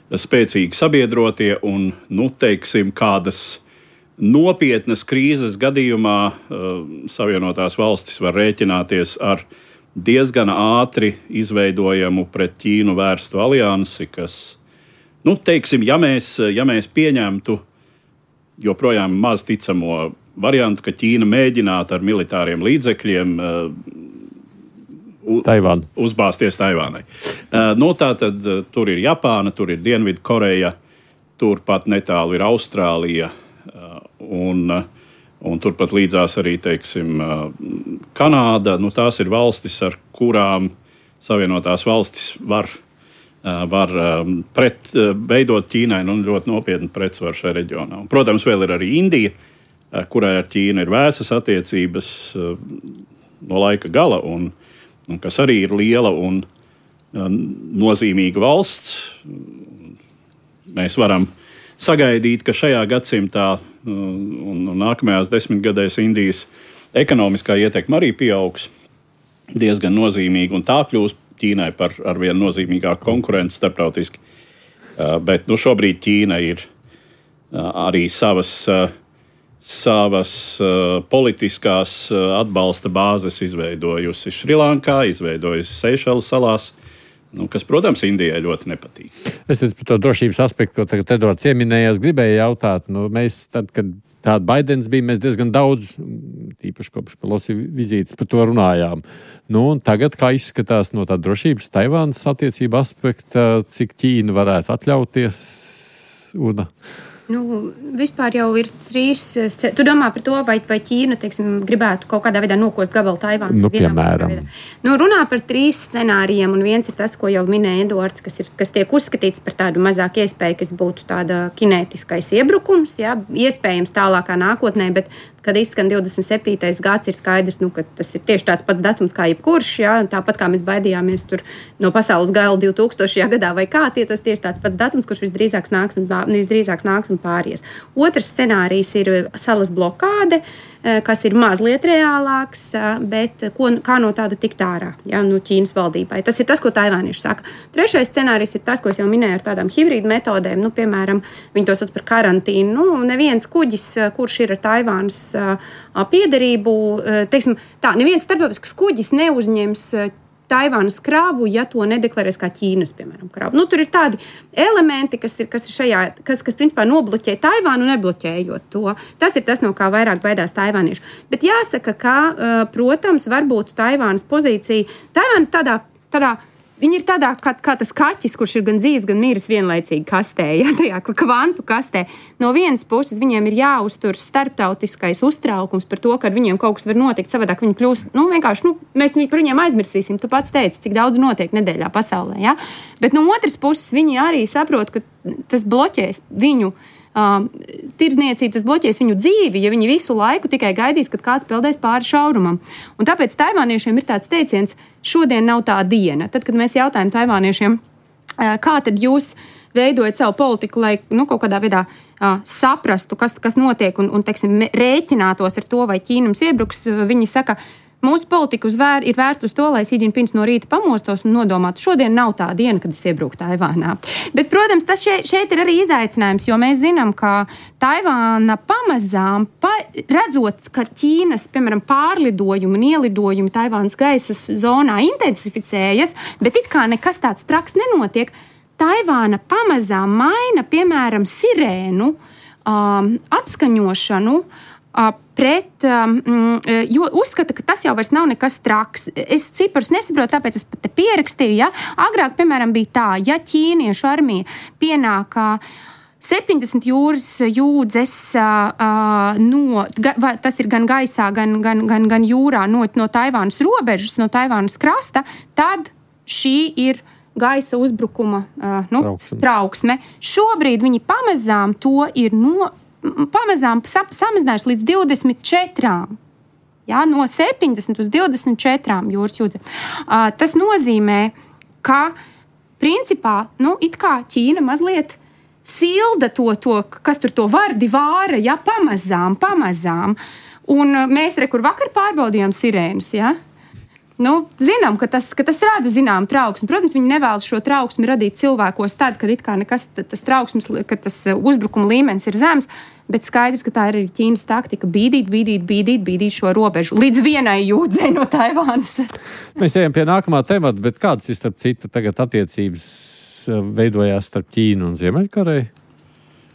spēcīgi sabiedrotie, un, teiksim, kādas nopietnas krīzes gadījumā Savienotās valstis var rēķināties ar diezgan ātri izveidojamu pret Ķīnu vērstu aliansi, kas, teiksim, ja mēs pieņemtu joprojām maz ticamo variantu, ka Ķīna mēģinātu ar militāriem līdzekļiem uzbāzties Taivānai. Tātad tur ir Japāna, tur ir Dienvidkoreja, turpat netālu ir Austrālija, un turpat līdzās arī, teiksim, Kanāda. Tās ir valstis, ar kurām Savienotās valstis var veidot Ķīnai ļoti nopietnu pretsvaru šajā reģionā. Un, protams, vēl ir arī Indija, kurai ar Ķīnu ir vēsas attiecības no laika gala, un kas arī ir liela un nozīmīga valsts. Mēs varam sagaidīt, ka šajā gadsimtā un nākamajās 10 gadēs Indijas ekonomiskā ietekme arī pieaugs diezgan nozīmīgi, un tā kļūs Ķīnai par arvien nozīmīgāku konkurenci starptautiski. Bet šobrīd Ķīna ir arī savas politiskās atbalsta bāzes izveidojusi Šrilankā, izveidojusi Seišelu salās, kas, protams, Indijai ļoti nepatīk. Es par to drošības aspektu, ko tagad Edvards ieminējās, gribēju jautāt. Mēs tad, kad tāda Baidens bija, mēs diezgan daudz, tīpaši kopš Pelosi vizītes, par to runājām. Un tagad, kā izskatās no tā drošības Taivānas attiecība aspekta, cik Ķīna varētu atļauties? Vispār jau ir 3. Tu domā par to, vai Ķīna, teiksim, gribētu kaut kādā veidā nokost gabalu Taivānu? Piemēram. Runā par 3 scenārijiem, un viens ir tas, ko jau minēja Eduards, kas tiek uzskatīts par tādu mazāk iespēju, kas būtu tāda kinētiskais iebrukums, jā, iespējams tālākā nākotnē, bet kad izskan 27. gads, ir skaidrs, ka tas ir tieši tāds pats datums kā jebkurš, jā, tāpat kā mēs baidījāmies tur no pasaules gala 2000. Gadā vai kā, tas tieši tāds pats datums, kurš visdrīzāk nāks un pāries. Otrs scenārijs ir salas blokāde, kas ir mazliet reālāks, bet kā no tāda tikt ārā, jā, no Ķīnas valdībai. Tas ir tas, ko taivānieši saka. Trešais scenārijs ir tas, ko es jau minēju ar tādām hibrīdu metodēm, piemēram, viņi to sauc par karantīnu. Neviens kuģis, kurš ir ar Taivānas piederību, teiksim, neviens starptautisks kuģis neuzņems Taivānas kravu, ja to nedeklarēs kā Ķīnas, piemēram, kravu. Tur ir tādi elementi, kas principā nobloķē Taivānu, nebloķējot to. Tas ir tas, no kā vairāk baidās taivānieši. Bet jāsaka, ka, protams, varbūt Taivānas pozīcija, Taivāna tādā viņi ir tādā kā tas kaķis, kurš ir gan dzīves, gan miris vienlaicīgi kastē, ja, tajā kvantu kastē. No vienas puses viņiem ir jāuztur starptautiskais uztraukums par to, ka ar viņiem kaut kas var notikt, savādāk viņi kļūst, vienkārši, mēs par viņiem aizmirsīsim. Tu pats teici, cik daudz notiek nedēļā pasaulē, ja? Bet no otras puses viņi arī saprot, ka tas bloķēs viņu tirdzniecību, tas bloķēs viņu dzīvi, ja viņi visu laiku tikai gaidīs, kad kāds peldēs pāri šaurumam. Un tāpēc taivāniešiem ir tāds teiciens, šodien nav tā diena. Tad, kad mēs jautājam taivāniešiem, kā tad jūs veidojat savu politiku, lai kaut kādā veidā saprastu, kas notiek un teiksim, rēķinātos ar to, vai Ķīna mums iebruks, viņi saka, mūsu politika ir vērsta uz to, lai Xi Jinpings no rīta pamostos un nodomātu, šodien nav tā diena, kad es iebraucu Taivānā. Bet, protams, tas šeit ir arī izaicinājums, jo mēs zinām, ka Taivāna pamazām, redzot, ka Ķīnas, piemēram, pārlidojumi un ielidojumi Taivānas gaisa zonā intensificējas, bet it kā nekas tāds traks nenotiek, Taivāna pamazām maina, piemēram, sirēnu atskaņošanu, jo uzskata, ka tas jau vairs nav nekas traks. Es ciparus nesaprotu, tāpēc es pat te pierakstīju. Ja? Agrāk, piemēram, bija tā, ja ķīniešu armija pienāk 70 jūras jūdzes, tas ir gan gaisā, gan jūrā no Taivānas robežas, no Taivānas krasta, tad šī ir gaisa uzbrukuma trauksme. Šobrīd viņi pamazām to ir samazinājuši līdz 24. Ja, no 70 uz 24 jūras jūdzēm. Tas nozīmē, ka principā, it kā Ķīna mazliet silda to, kas tur to vardi vāra, ja, pamazām. Un mēs kur vakar pārbaudījām sirēnas, ja. Zinām, ka tas rada zināmu trauksmi. Protams, viņi nevēlas šo trauksmi radīt cilvēkos tad, kad it kā nekas tas trauksmes, kad tas uzbrukuma līmenis ir zems, bet skaidrs, ka tā ir arī Ķīnas taktika bīdīt šo robežu līdz vienai jūdzei no Taivānas. Mēs ejam pie nākamā temata, bet kādas ir starp citu tagad attiecības veidojās starp Ķīnu un Ziemeļkoreju?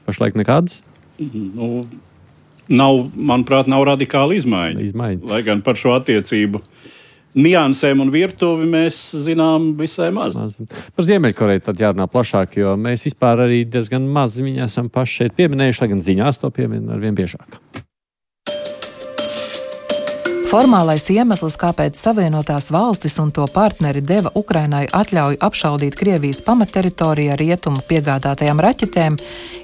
Pašlaik nekādas? Manuprāt, nav radikāla izmaiņa. Lai gan par šo attiecību niansēm un virtuvi mēs zinām visai maz. Par Ziemeļkoreju tad jārunā plašāk, jo mēs vispār arī diezgan maz viņu esam paši šeit pieminējuši, lai gan ziņās to piemin arvien biežāk. Formālais iemesls, kāpēc Savienotās valstis un to partneri deva Ukrainai atļauju apšaudīt Krievijas pamatteritoriju ar rietumu piegādātajām raķetēm,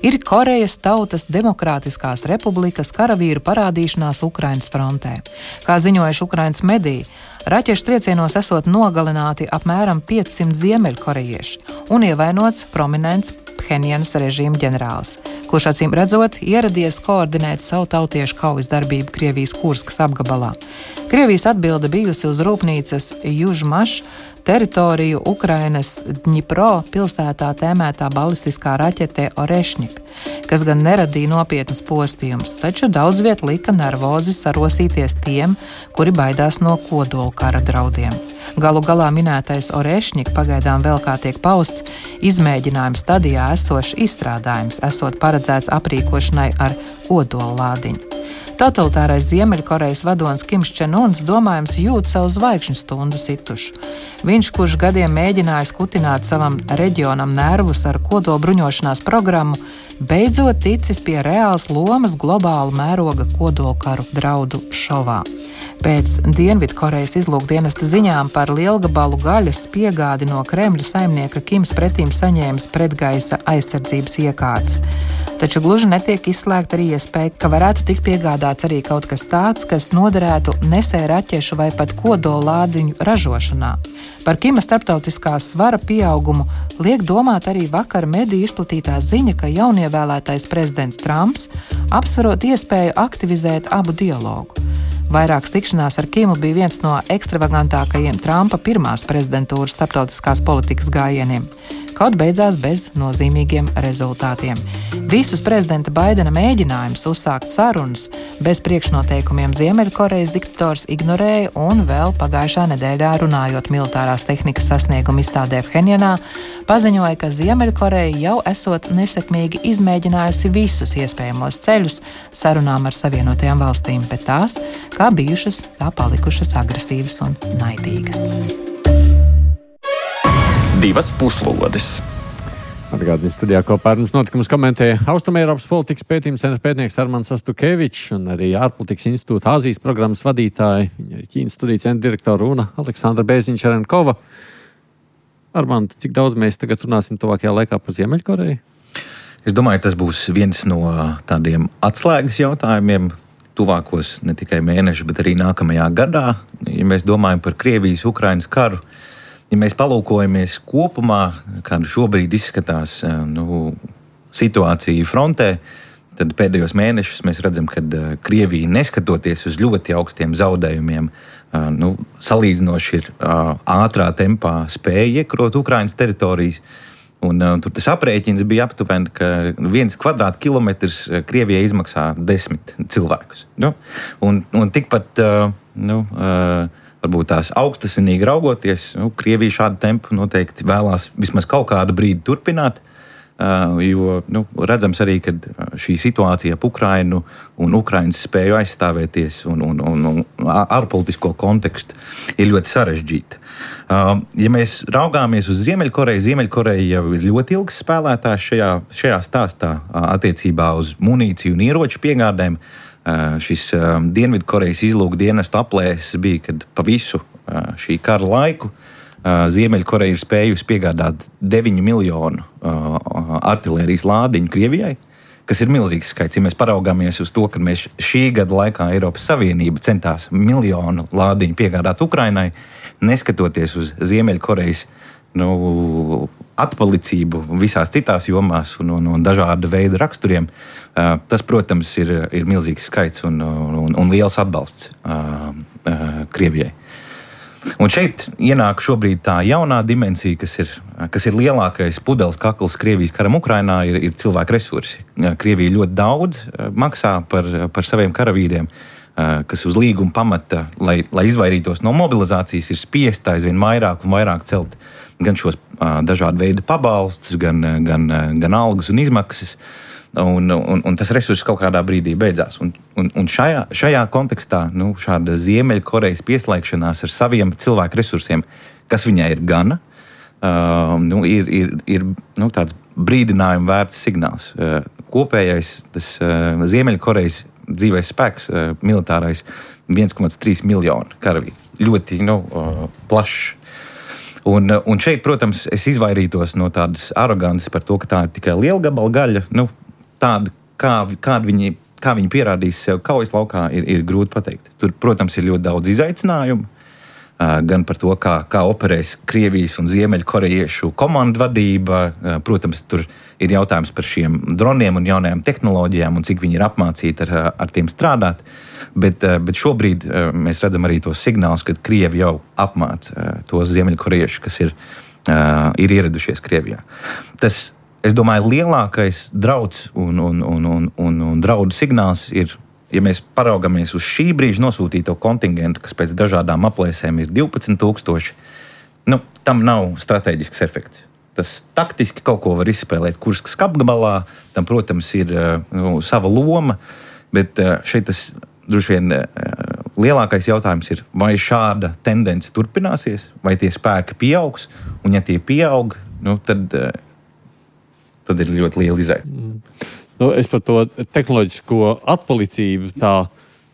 ir Korejas Tautas Demokrātiskās republikas karavīru parādīšanās Ukrainas frontē. Kā ziņojuši Ukrainas mediji, raķešu triecienos esot nogalināti apmēram 500 ziemeļkorejieši un ievainots prominents Phenjanas režīma ģenerālis, kurš acīm redzot ieradies koordinēt savu tautiešu kaujas darbību Krievijas Kurskas apgabalā. Krievijas atbilde bijusi uz rūpnīcas Južmaš teritoriju Ukrainas Dņipro pilsētā tēmētā balistiskā raķete Orešņik, kas gan neradīja nopietnus postījumus, taču daudz viet lika nervozi sarosīties tiem, kuri baidās no kodola kara draudiem. Galu galā minētais Orešņik pagaidām vēl kā tiek pausts izmēģinājuma stadijā esošs izstrādājums, esot paredzēts aprīkošanai ar kodola lādiņu. Totalitārais Ziemeļkorejas vadonis Kims Čen-uns domājams jūt savu zvaigžņu stundu situšu. Viņš, kurš gadiem mēģinājis kutināt savam reģionam nervus ar kodolbruņošanās programmu, beidzot ticis pie reāls lomas globāla mēroga kodolkaru draudu šovā. Pēc Dienvidkorejas izlūkdienesta ziņām par lielgabalu gaļas piegādi no Kremļa saimnieka Kims pretīm saņēmis pretgaisa aizsardzības iekārtas. Taču gluži netiek izslēgta arī iespēja, ka varētu tikt piegādāts arī kaut kas tāds, kas noderētu nesēju raķešu vai pat kodolādiņu ražošanā. Par Kima starptautiskā svara pieaugumu liek domāt arī vakar mediju izplatītā ziņa, ka jaunievēlētais prezidents Trumps apsverot iespēju aktivizēt abu dialogu. Vairākas tikšanās ar Kimu bija viens no ekstravagantākajiem Trumpa pirmās prezidentūras starptautiskās politikas gājieniem. Kaut beidzās bez nozīmīgiem rezultātiem. Visus prezidenta Baidena mēģinājumus uzsākt sarunas bez priekšnoteikumiem Ziemeļkorejas diktators ignorēja un vēl pagājušā nedēļā runājot militārās tehnikas sasniegumu izstādē Phenjanā, paziņoja, ka Ziemeļkoreja jau esot nesekmīgi izmēģinājusi visus iespējamos ceļus sarunām ar Savienotajām valstīm, bet tās, kā bijušas, tā palikušas agresīvas un naidīgas. Divas puslodes. Atgādini studijā kopā ar mums notikumus komentēja Austrumēropas politikas pētījuma centra pētnieks Armands Astukevičs un arī ārpolitikas institūta Āzijas programmas vadītāja, viņa ir Ķīnas studiju centra direktora Una Aleksandra Bēziņš-Čerenkova. Armand, cik daudz mēs tagad runāsim tuvākajā laikā par Ziemeļkoreju? Es domāju, tas būs viens no tādiem atslēgas jautājumiem tuvākos ne tikai mēnešu, bet arī nākamajā gadā. Ja mēs domājam par Krievijas-Ukrainas karu, ja mēs palūkojamies kopumā, kāda šobrīd izskatās situācija frontē, tad pēdējos mēnešus mēs redzam, ka Krievija, neskatoties uz ļoti augstiem zaudējumiem, salīdzinoši ir ātrā tempā spēja iekarot Ukrainas teritorijas. Un tur tas aprēķins bija aptuveni, ka 1 kvadrātkilometrs Krievijai izmaksā 10 cilvēkus. Un tikpat, varbūt tās augstasinīgi raugoties, Krievija šādu tempu noteikti vēlās vismaz kaut kādu brīdi turpināt, jo redzams arī, ka šī situācija ap Ukrainu un Ukrainas spēju aizstāvēties un ārpolitisko kontekstu ir ļoti sarežģīta. Ja mēs raugāmies uz Ziemeļkoreju, Ziemeļkoreja jau ir ļoti ilgs spēlētājs šajā stāstā attiecībā uz munīciju un ieroču piegādēm. Šis Dienvidkorejas izlūkdienestu aplēses bija, kad pa visu šī kara laiku Ziemeļkoreja ir spējusi piegādāt 9 miljonu artilērijas lādiņu Krievijai, kas ir milzīgs skaits. Ja mēs paraugāmies uz to, ka mēs šī gada laikā Eiropas Savienība centās 1 miljonu lādiņu piegādāt Ukrainai, neskatoties uz Ziemeļkorejas atpalicību visās citās jomās un dažāda veida raksturiem, tas, protams, ir milzīgs skaits un liels atbalsts Krievijai. Un šeit ienāk šobrīd tā jaunā dimensija, kas ir lielākais pudeles kakls Krievijas karam Ukrainā, ir cilvēku resursi. Krievija ļoti daudz maksā par saviem karavīriem, kas uz līguma pamata, lai izvairītos no mobilizācijas, ir spiesta aizvien vairāk un vairāk celt gan šos dažādu veidu pabalstus, gan algas un izmaksas. Un tas resurss kaut kādā brīdī beidzās. Un šajā kontekstā šāda Ziemeļkorejas pieslēgšanās ar saviem cilvēku resursiem, kas viņai ir gana, ir tāds brīdinājuma vērts signāls. Kopējais tas Ziemeļkorejas dzīvais spēks, militārais, 1,3 miljonu karavīru. Ļoti plašs. Un šeit, protams, es izvairītos no tādas arogances par to, ka tā ir tikai liela gabala gaļa. Tāda, kā viņi pierādīs sev kaujas laukā, ir grūti pateikt. Tur, protams, ir ļoti daudz izaicinājumu. Gan par to, kā operēs Krievijas un Ziemeļkorejiešu komandu vadība. Protams, tur ir jautājums par šiem droniem un jaunajām tehnoloģijām un cik viņi ir apmācīti ar tiem strādāt. Bet šobrīd mēs redzam arī tos signālus, ka Krievi jau apmāca tos Ziemeļkorejiešus, kas ir ieradušies Krievijā. Tas, es domāju, lielākais drauds un draudu signāls ir, ja mēs paraugamies uz šī brīža nosūtīto kontingentu, kas pēc dažādām aplēsēm ir 12,000, tam nav strateģisks efekts. Tas taktiski kaut ko var izspēlēt Kurskas apgabalā, tam, protams, ir sava loma, bet šeit tas droši vien lielākais jautājums ir, vai šāda tendence turpināsies, vai tie spēki pieaugs, un ja tie pieaug, tad tad ir ļoti liela izaicinājuma. Es par to tehnoloģisko atpalicību tā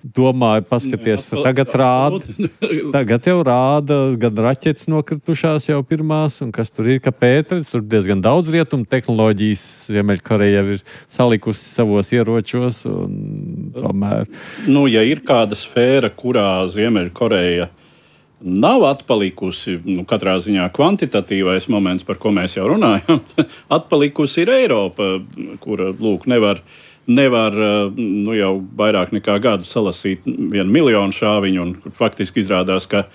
domāju, paskaties, tagad jau rāda gan raķetes nokritušās jau pirmās, un kas tur ir, ka Pēteris, tur diezgan daudz rietumu tehnoloģijas Ziemeļkoreja jau ir salikusi savos ieročos, un tomēr... Ja ir kāda sfēra, kurā Ziemeļkoreja nav atpalikusi, katrā ziņā kvantitatīvais moments, par ko mēs jau runājam, atpalikusi ir Eiropa, kura, nevar jau vairāk nekā gadu salasīt 1 miljonu šāviņu, un faktiski izrādās, ka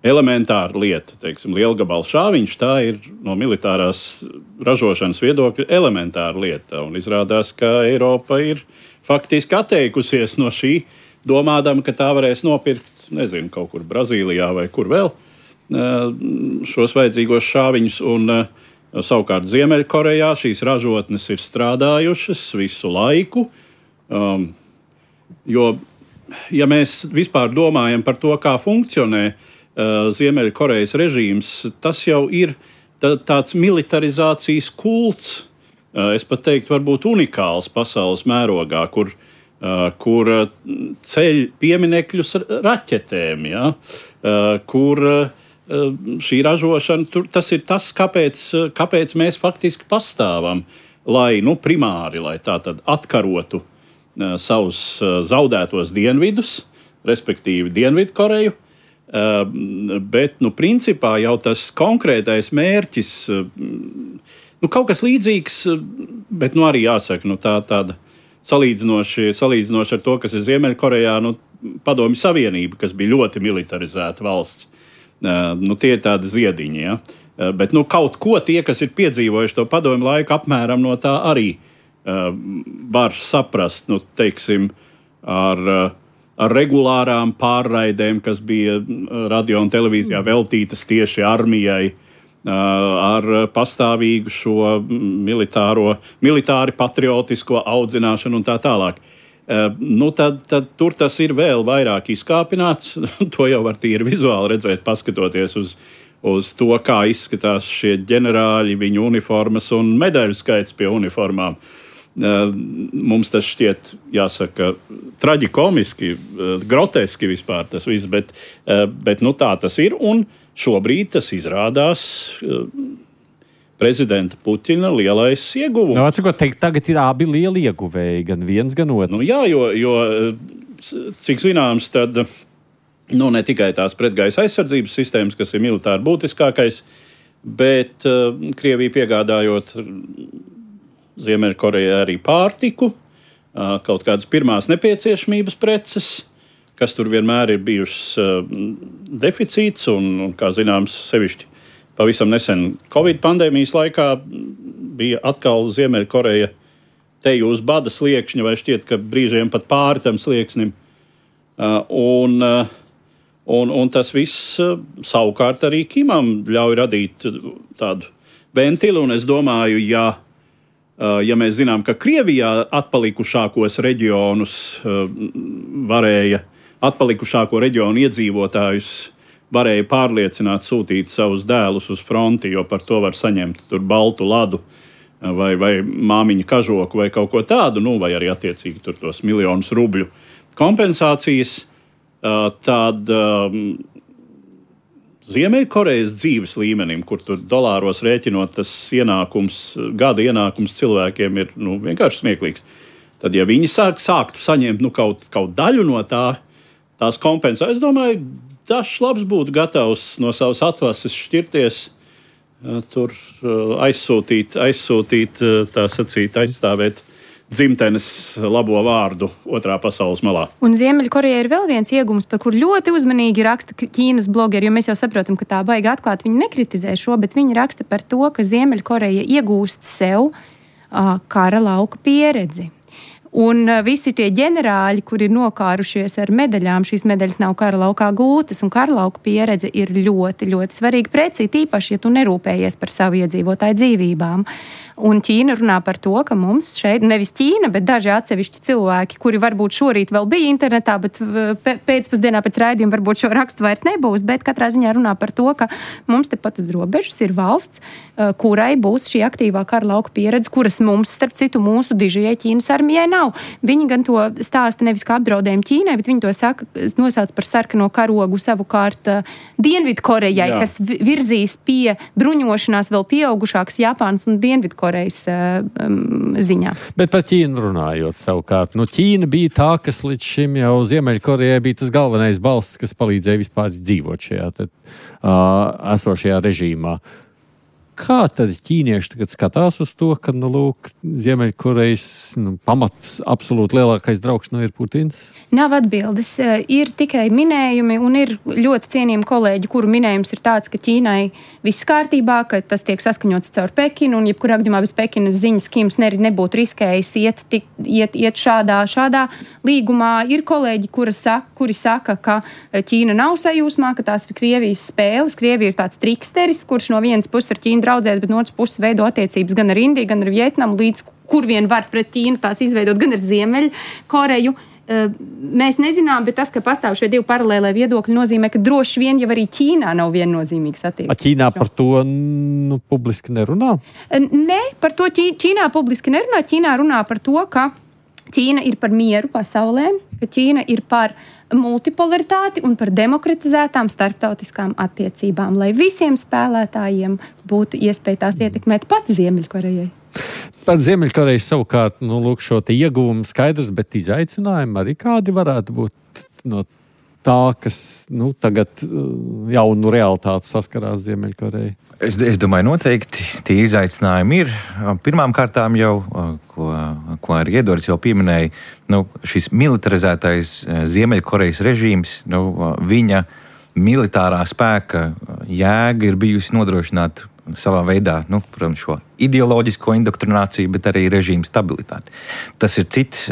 elementāra lieta, teiksim, lielgabala šāviņš, tā ir no militārās ražošanas viedokļa elementāra lieta, un izrādās, ka Eiropa ir faktiski atteikusies no šī, domādama, ka tā varēs nopirkt, nezinu, kaut kur Brazīlijā vai kur vēl šos vajadzīgos šāviņus, un savukārt Ziemeļkorejā šīs ražotnes ir strādājušas visu laiku, jo, ja mēs vispār domājam par to, kā funkcionē Ziemeļkorejas režīms, tas jau ir tāds militarizācijas kults, es pat teiktu, varbūt unikāls pasaules mērogā, kur ceļ pieminekļus raķetēm, kur šī ražošana, tas ir tas, kāpēc mēs faktiski pastāvam, lai primāri, lai tā tad atkarotu savus zaudētos dienvidus, respektīvi Dienvidkoreju, bet, principā jau tas konkrētais mērķis, kaut kas līdzīgs, bet, arī jāsaka, tāda salīdzinoši ar to, kas ir Ziemeļkorejā, Padomju Savienība, kas bija ļoti militarizēta valsts. Tie ir tādi ziediņi, bet kaut ko tie, kas ir piedzīvojuši to padomju laiku, apmēram no tā arī var saprast, teiksim, ar regulārām pārraidēm, kas bija radio un televīzijā veltītas tieši armijai, ar pastāvīgu šo militāri patriotisko audzināšanu un tā tālāk. Tad tur tas ir vēl vairāk izkāpināts. To jau var tīri vizuāli redzēt, paskatoties uz to, kā izskatās šie ģenerāļi, viņu uniformas un medaļu skaits pie uniformām. Mums tas šķiet, jāsaka, traģikomiski, groteski vispār tas viss, bet tā tas ir, un šobrīd tas izrādās prezidenta Putina lielais ieguvums. Atcīmot teikt, tagad ir abi lieli ieguvēji, gan viens, gan otrs. Jā, jo cik zināms, tad ne tikai tās pretgaisa aizsardzības sistēmas, kas ir militāri būtiskākais, bet Krievija piegādājot Ziemeļkorejai arī pārtiku, kaut kādas pirmās nepieciešamības preces, kas tur vienmēr ir bijušas deficīts, un kā zināms, sevišķi pavisam nesen Covid pandēmijas laikā bija atkal Ziemeļkoreja teju uz bada sliekšņa, vai šķiet, ka brīžiem pat pāri tam slieksnim. Un tas viss savukārt arī Kimam ļauj radīt tādu ventilu, un es domāju, ja mēs zinām, ka Krievijā atpalikušākos reģionus atpalikušāko reģionu iedzīvotājus varēja pārliecināt sūtīt savus dēlus uz fronti, jo par to var saņemt tur baltu ladu vai māmiņa kažoku vai kaut ko tādu, vai arī attiecīgi tur tos miljonus rubļu kompensācijas, tad Ziemeļkorejas dzīves līmenim, kur tur dolāros rēķinot, tas gada ienākums cilvēkiem ir vienkārši smieklīgs. Tad, ja viņi sāktu saņemt kaut daļu no tās kompensācijas, es domāju, dažs labs būtu gatavs no savas atvases šķirties, tur aizsūtīt, tā sacīt, aizstāvēt dzimtenes labo vārdu otrā pasaules malā. Un Ziemeļkorejai ir vēl viens iegums, par kur ļoti uzmanīgi raksta Ķīnas blogeri, jo mēs jau saprotam, ka tā baigi atklāt viņi nekritizē šo, bet viņi raksta par to, ka Ziemeļkoreja iegūst sev kara lauka pieredzi. Un visi tie ģenerāļi, kuri ir nokārušies ar medaļām, šīs medaļas nav kara laukā gūtas, un kara lauka pieredze ir ļoti, ļoti svarīga precīzi, īpaši, ja tu nerūpējies par savu iedzīvotāju dzīvībām. Un Ķīna runā par to, ka mums šeit, nevis Ķīna, bet daži atsevišķi cilvēki, kuri varbūt šorīt vēl bija internetā, bet pēcpusdienā pēc raidījuma varbūt šo rakstu vairs nebūs, bet katrā ziņā runā par to, ka mums tepat uz robežas ir valsts, kurai būs šī aktīvā kara lauka pieredze, kuras mums, starp citu, mūsu dižajai Ķīnas armijai nav. Viņi gan to stāsta nevis kā apdraudējumu Ķīnai, bet viņi to saka, nosauc par sarkano karogu savukārt Dienvidkorejai, kas virzīs pie bruņošanās vēl pieaugušākas Japānas un Dienvidkorejas ziņā. Bet par Ķīnu runājot savukārt. Ķīna bija tā, kas līdz šim jau Ziemeļkorejai bija tas galvenais balsts, kas palīdzēja vispār dzīvot šajā esošajā režīmā. Kā tad ķīnieši tagad skatās uz to, ka, Ziemeļkorejas pamats absolūti lielākais draugs ir Putins? Nav atbildes. Ir tikai minējumi, un ir ļoti cienījami kolēģi, kuru minējums ir tāds, ka Ķīnai viss kārtībā, ka tas tiek saskaņots caur Pekinu, un jebkurā gadījumā bez Pekinas ziņas Kims nebūtu riskējis iet šādā līgumā. Ir kolēģi, kuri saka, ka Ķīna nav sajūsmā, ka tās ir Krievijas spēles. Krievija ir tāds triksteris, kurš no vienas puses ar Ķīnu draudzēs, bet no otras puses veido attiecības gan ar Indiju, gan ar Vietnamu, līdz kur vien var pret Ķīnu tās izveidot, gan ar Ziemeļkoreju. Mēs nezinām, bet tas, ka pastāv šie divi paralēlē viedokļi, nozīmē, ka droši vien jau arī Ķīnā nav viennozīmīgas attieksmes. Ķīnā par to publiski nerunā? Nē, par to Ķīnā publiski nerunā. Ķīnā runā par to, ka Ķīna ir par mieru pasaulē, ka Ķīna ir par multipolaritāti un par demokratizētām starptautiskām attiecībām, lai visiem spēlētājiem būtu iespēja tās ietekmēt pat Ziemeļkorejai. Par Ziemeļkoreju savukārt, šo te ieguvumu skaidrs, bet izaicinājumi arī kādi varētu būt no tā, kas tagad jaunu realitāti saskarās Ziemeļkoreja? Es domāju, noteikti tie izaicinājumi ir. Pirmām kārtām jau, ko arī Iedoris jau pieminēja, šis militarizētais Ziemeļkorejas režīms, viņa militārā spēka jēga ir bijusi nodrošināt savā veidā, protams, šo ideoloģisko indoktrināciju, bet arī režīmu stabilitāti. Tas ir cits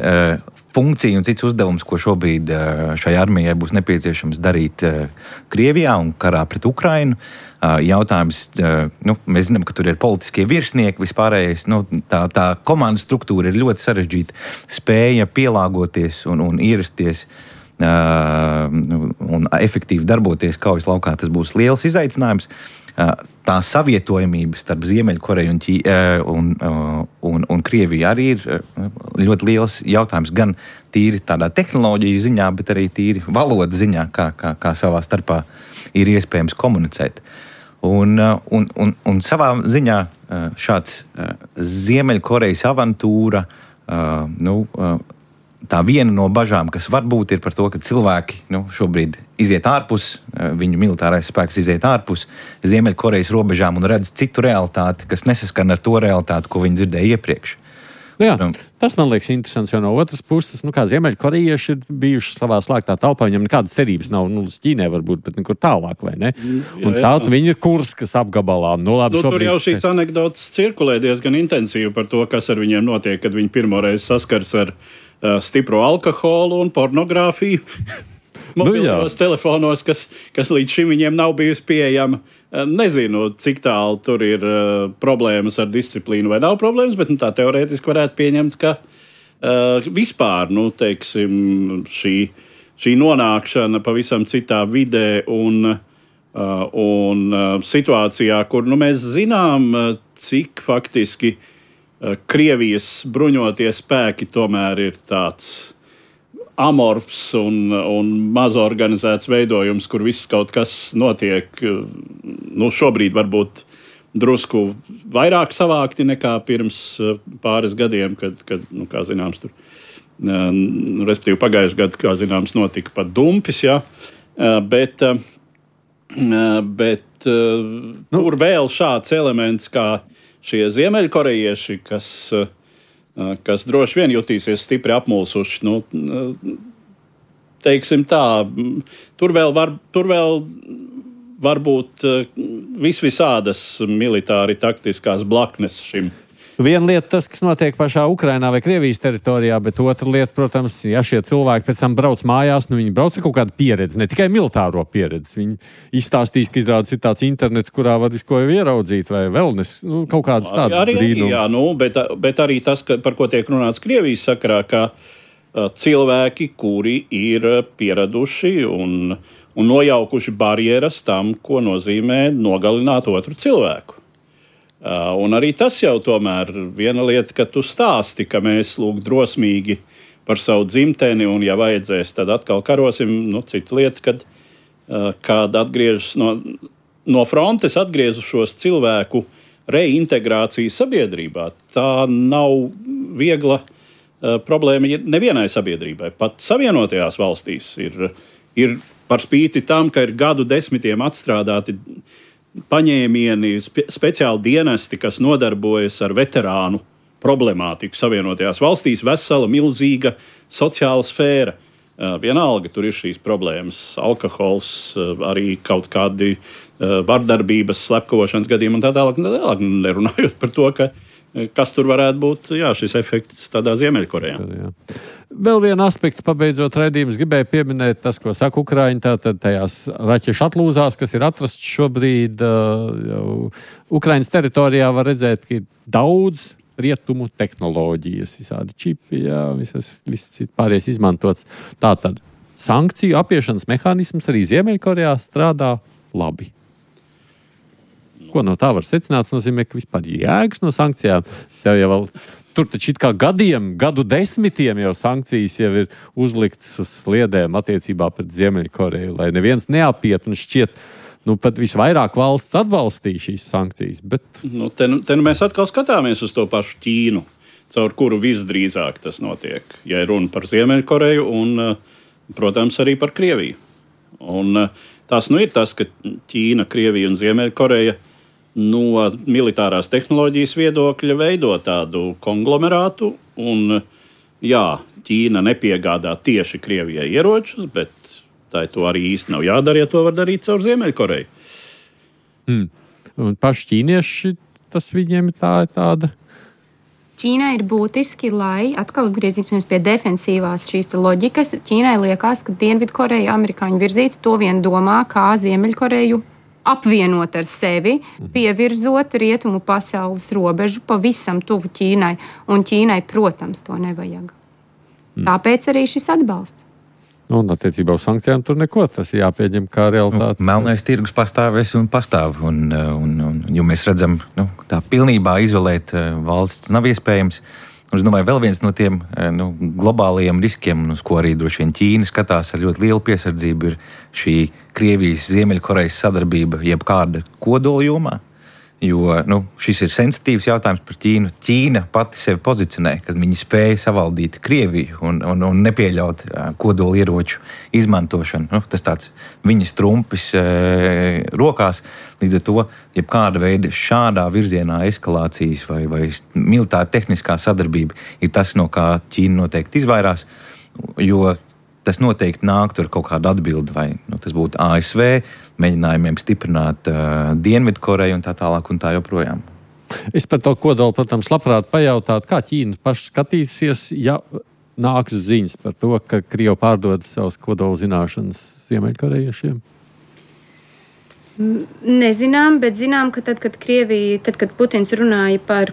funkcija un cits uzdevums, ko šobrīd šai armijai būs nepieciešams darīt Krievijā un karā pret Ukrainu. Jautājums, mēs zinām, ka tur ir politiskie virsnieki, vispārējais, tā komandas struktūra ir ļoti sarežģīta, spēja pielāgoties un ierasties un efektīvi darboties kaujas laukā. Tas būs liels izaicinājums. Tā savietojamība starp Ziemeļkoreju un Krieviju arī ir ļoti liels jautājums, gan tīri tādā tehnoloģiju ziņā, bet arī tīri valodas ziņā, kā savā starpā ir iespējams komunicēt. Un savā ziņā šāds Ziemeļkorejas avantūra, tā viena no bažām, kas var būt, ir par to, ka cilvēki šobrīd iziet ārpus, viņu militārais spēks iziet ārpus Ziemeļkorejas robežām un redz citu realitāti, kas nesaskan ar to realitāti, ko viņi dzirdēja iepriekš. Jā, tas man liekas interesants, jo no otras puses, kā Ziemeļkorejieši ir bijuši savā slēgtā telpā, viņam nekādas cerības nav, uz Ķīnai varbūt, bet nekur tālāk, vai ne? Un tātad viņi ir Kurskas apgabalā. Labi, tur jau šīs anekdotas cirkulē diezgan intensīvi par to, kas ar viņiem notiek, kad viņi pirmoreiz saskars ar stipru alkoholu un pornogrāfiju mobilos telefonos, kas līdz šim viņiem nav bijusi pieejama. Nezinu, cik tālu tur ir problēmas ar disciplīnu vai nav problēmas, bet tā teorētiski varētu pieņemt, ka vispār, teiksim, šī nonākšana pavisam citā vidē un situācijā, kur mēs zinām, cik faktiski Krievijas bruņotie spēki tomēr ir tāds amorfs un mazorganizēts veidojums, kur viss kaut kas notiek, šobrīd varbūt drusku vairāk savākti nekā pirms pāris gadiem, kad kā zināms, tur, respektīvi pagājušajā gadā, kā zināms, notika pat dumpis, jā, bet tur vēl šāds elements, kā šie ziemeļkorejieši, kas droši vien jutīsies stipri apmulsuši. Teiksim tā, tur vēl var būt visvisādas militāri taktiskās blaknes Viena lieta tas, kas notiek pašā Ukrainā vai Krievijas teritorijā, bet otra lieta, protams, ja šie cilvēki pēc tam brauc mājās, viņi brauc ar kaut kādu pieredzi, ne tikai militāro pieredzi. Viņi izstāstīs, ka izrādes ir tāds internets, kurā var visko jau ieraudzīt, vai vēl kaut kādas tādas brīnumas. Jā, bet arī tas, par ko tiek runāts Krievijas sakarā, ka cilvēki, kuri ir pieraduši un nojaukuši barjeras tam, ko nozīmē nogalināt otru cilvēku. Un arī tas jau tomēr viena lieta, ka tu stāsti, ka mēs lūk drosmīgi par savu dzimteni un, ja vajadzēs, tad atkal karosim. Cita lieta, kad atgriežas no frontes atgriezušos cilvēku reintegrācija sabiedrībā. Tā nav viegla problēma nevienai sabiedrībai. Pat Savienotajās valstīs ir par spīti tam, ka ir gadu desmitiem atstrādāti paņēmieni, speciāli dienesti, kas nodarbojas ar veterānu problemātiku Savienotajās valstīs, vesela, milzīga sociāla sfēra. Vienalga, tur ir šīs problēmas, alkohols, arī kaut kādi vardarbības, slepkavošanas gadījumi un tā tālāk, nerunājot par to, kas tur varētu būt šis efekts tādā Ziemeļkorejā. Jā. Vēl vienu aspektu pabeidzot raidījumus gribēju pieminēt tas, ko saka Ukraiņa, tātad tajās raķešu atlūzās, kas ir atrasts šobrīd Ukraiņas teritorijā, var redzēt, ka ir daudz rietumu tehnoloģijas, visādi čipi, viss pārējais izmantots. Tātad sankciju apiešanas mehānisms arī Ziemeļkorejā strādā labi. Ko no tā var secināt? Tas nozīmē, ka vispār jēgas no sankcijām. Tur taču it kā gadu desmitiem jau sankcijas jau ir uzliktas uz sliedēm attiecībā pret Ziemeļkoreju, lai neviens neapiet un šķiet, pat visvairāk valsts atbalstīja šīs sankcijas. Bet... Te mēs atkal skatāmies uz to pašu Ķīnu, caur kuru visdrīzāk tas notiek. Ja ir runa par Ziemeļkoreju un, protams, arī par Krieviju. Un tas ir tas, ka Ķīna, Krievija un Ziemeļkoreja no militārās tehnoloģijas viedokļa veido tādu konglomerātu. Un, Ķīna nepiegādā tieši Krievijai ieročus, bet tā to arī īsti nav jādara, ja to var darīt caur Ziemeļkoreju. Un paši ķīnieši, tas viņiem ir tāda. Ķīnai ir būtiski, lai atkal atgriezīsimies pie defensīvās šīs loģikas. Ķīnai liekas, ka Dienvidkoreja amerikāņu virzīti to vien domā, kā Ziemeļkoreju apvienot ar sevi, pievirzot rietumu pasaules robežu pavisam tuvu Ķīnai. Un Ķīnai, protams, to nevajag. Tāpēc arī šis atbalsts. Un attiecībā uz sankcijām tur neko, tas ir jāpieņem kā realitāte. Melnais tirgus pastāvēs un pastāv. Jo mēs redzam, tā pilnībā izolēt valsts nav iespējams. Un es domāju, vēl viens no tiem globālajiem riskiem, uz ko arī droši vien Ķīna skatās ar ļoti lielu piesardzību, ir šī Krievijas, Ziemeļkorejas sadarbība jebkāda kodola jomā. Jo šis ir sensitīvs jautājums par Ķīnu. Ķīna pati sevi pozicionē, ka viņi spēja savaldīt Krieviju un nepieļaut kodola ieroču izmantošanu. Tas tāds viņas trumpis rokās. Līdz ar to, jebkāda veida šādā virzienā eskalācijas vai militāra tehniskā sadarbība ir tas, no kā Ķīna noteikti izvairās, jo tas noteikti nāktu ar kaut kādu atbildi, vai tas būtu ASV mēģinājumiem stiprināt Dienvidkoreju un tā tālāk un tā joprojām. Es par to kodolu, protams, labprāt pajautātu, kā Ķīna paši skatīsies, ja nāks ziņas par to, ka Krievi pārdod savas kodola zināšanas Ziemeļkorejiešiem? Nezinām, bet zinām, ka tad, kad Putins runāja par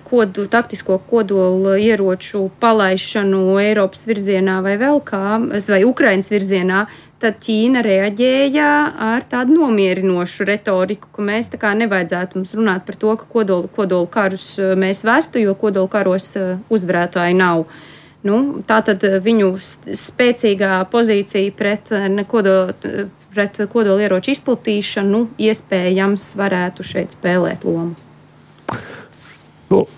taktisko kodolu ieroču palaišanu Eiropas virzienā vai vēl kā, vai Ukrainas virzienā, tad Ķīna reaģēja ar tādu nomierinošu retoriku, ka mēs tā kā nevajadzētu mums runāt par to, ka kodolu karus mēs vestu, jo kodolu karos uzvarētāji nav. Tātad viņu spēcīgā pozīcija pret kodolieroču izplatīšanu iespējams varētu šeit spēlēt lomu.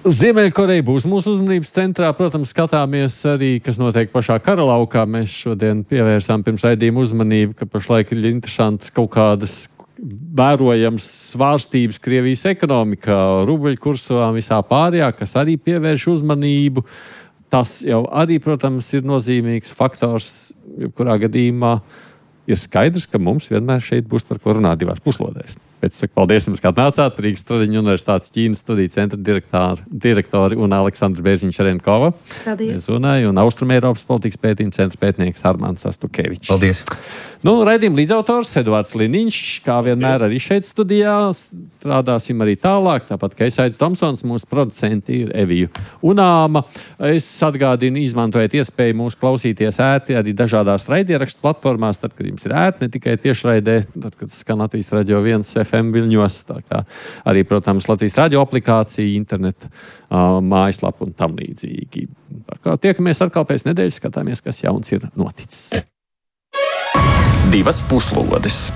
Ziemeļkoreja būs mūsu uzmanības centrā. Protams, skatāmies arī, kas notiek pašā kara laukā. Mēs šodien pievērsām pirms raidījuma uzmanību, ka pašlaik ir interesants kaut kādas vērojams svārstības Krievijas ekonomikā, rubļkursā visā pārējā, kas arī pievērš uzmanību. Tas jau arī, protams, ir nozīmīgs faktors, jebkurā gadījumā ir skaidrs, ka mums vienmēr šeit būs par ko runāt divās puslodēs. Bet saku paldies jums, ka atnācāt. Rīgas Tradiņu universitātes Ķīnas studiju centra direktori un Aleksandra Bērziņš-Šerenkova. Paldies. Un Austrumēropas politikas pētījuma centra pētnieks Armāns Astukevičs. Paldies. Raidījuma līdzautors Eduards Liniņš, kā vienmēr arī šeit studijā. Strādāsim arī tālāk, tāpat kā Esaits Tomsons, mūsu producenti ir Eviju Unāma. Es atgādinu, izmantojiet iespēju mūs klausīties ērti arī dažādās raidierakstu platformās, tad, kad jums ir ērti, ne tikai tiešraidē, tad, kad skan Latvijas Radio 1 FM viļņos, tā kā arī, protams, Latvijas radio aplikācija, interneta mājaslapa un tam līdzīgi. Tā kā tiekamies atkal pēc nedēļas, skatāmies, kas jauns ir noticis. Divas puslodes.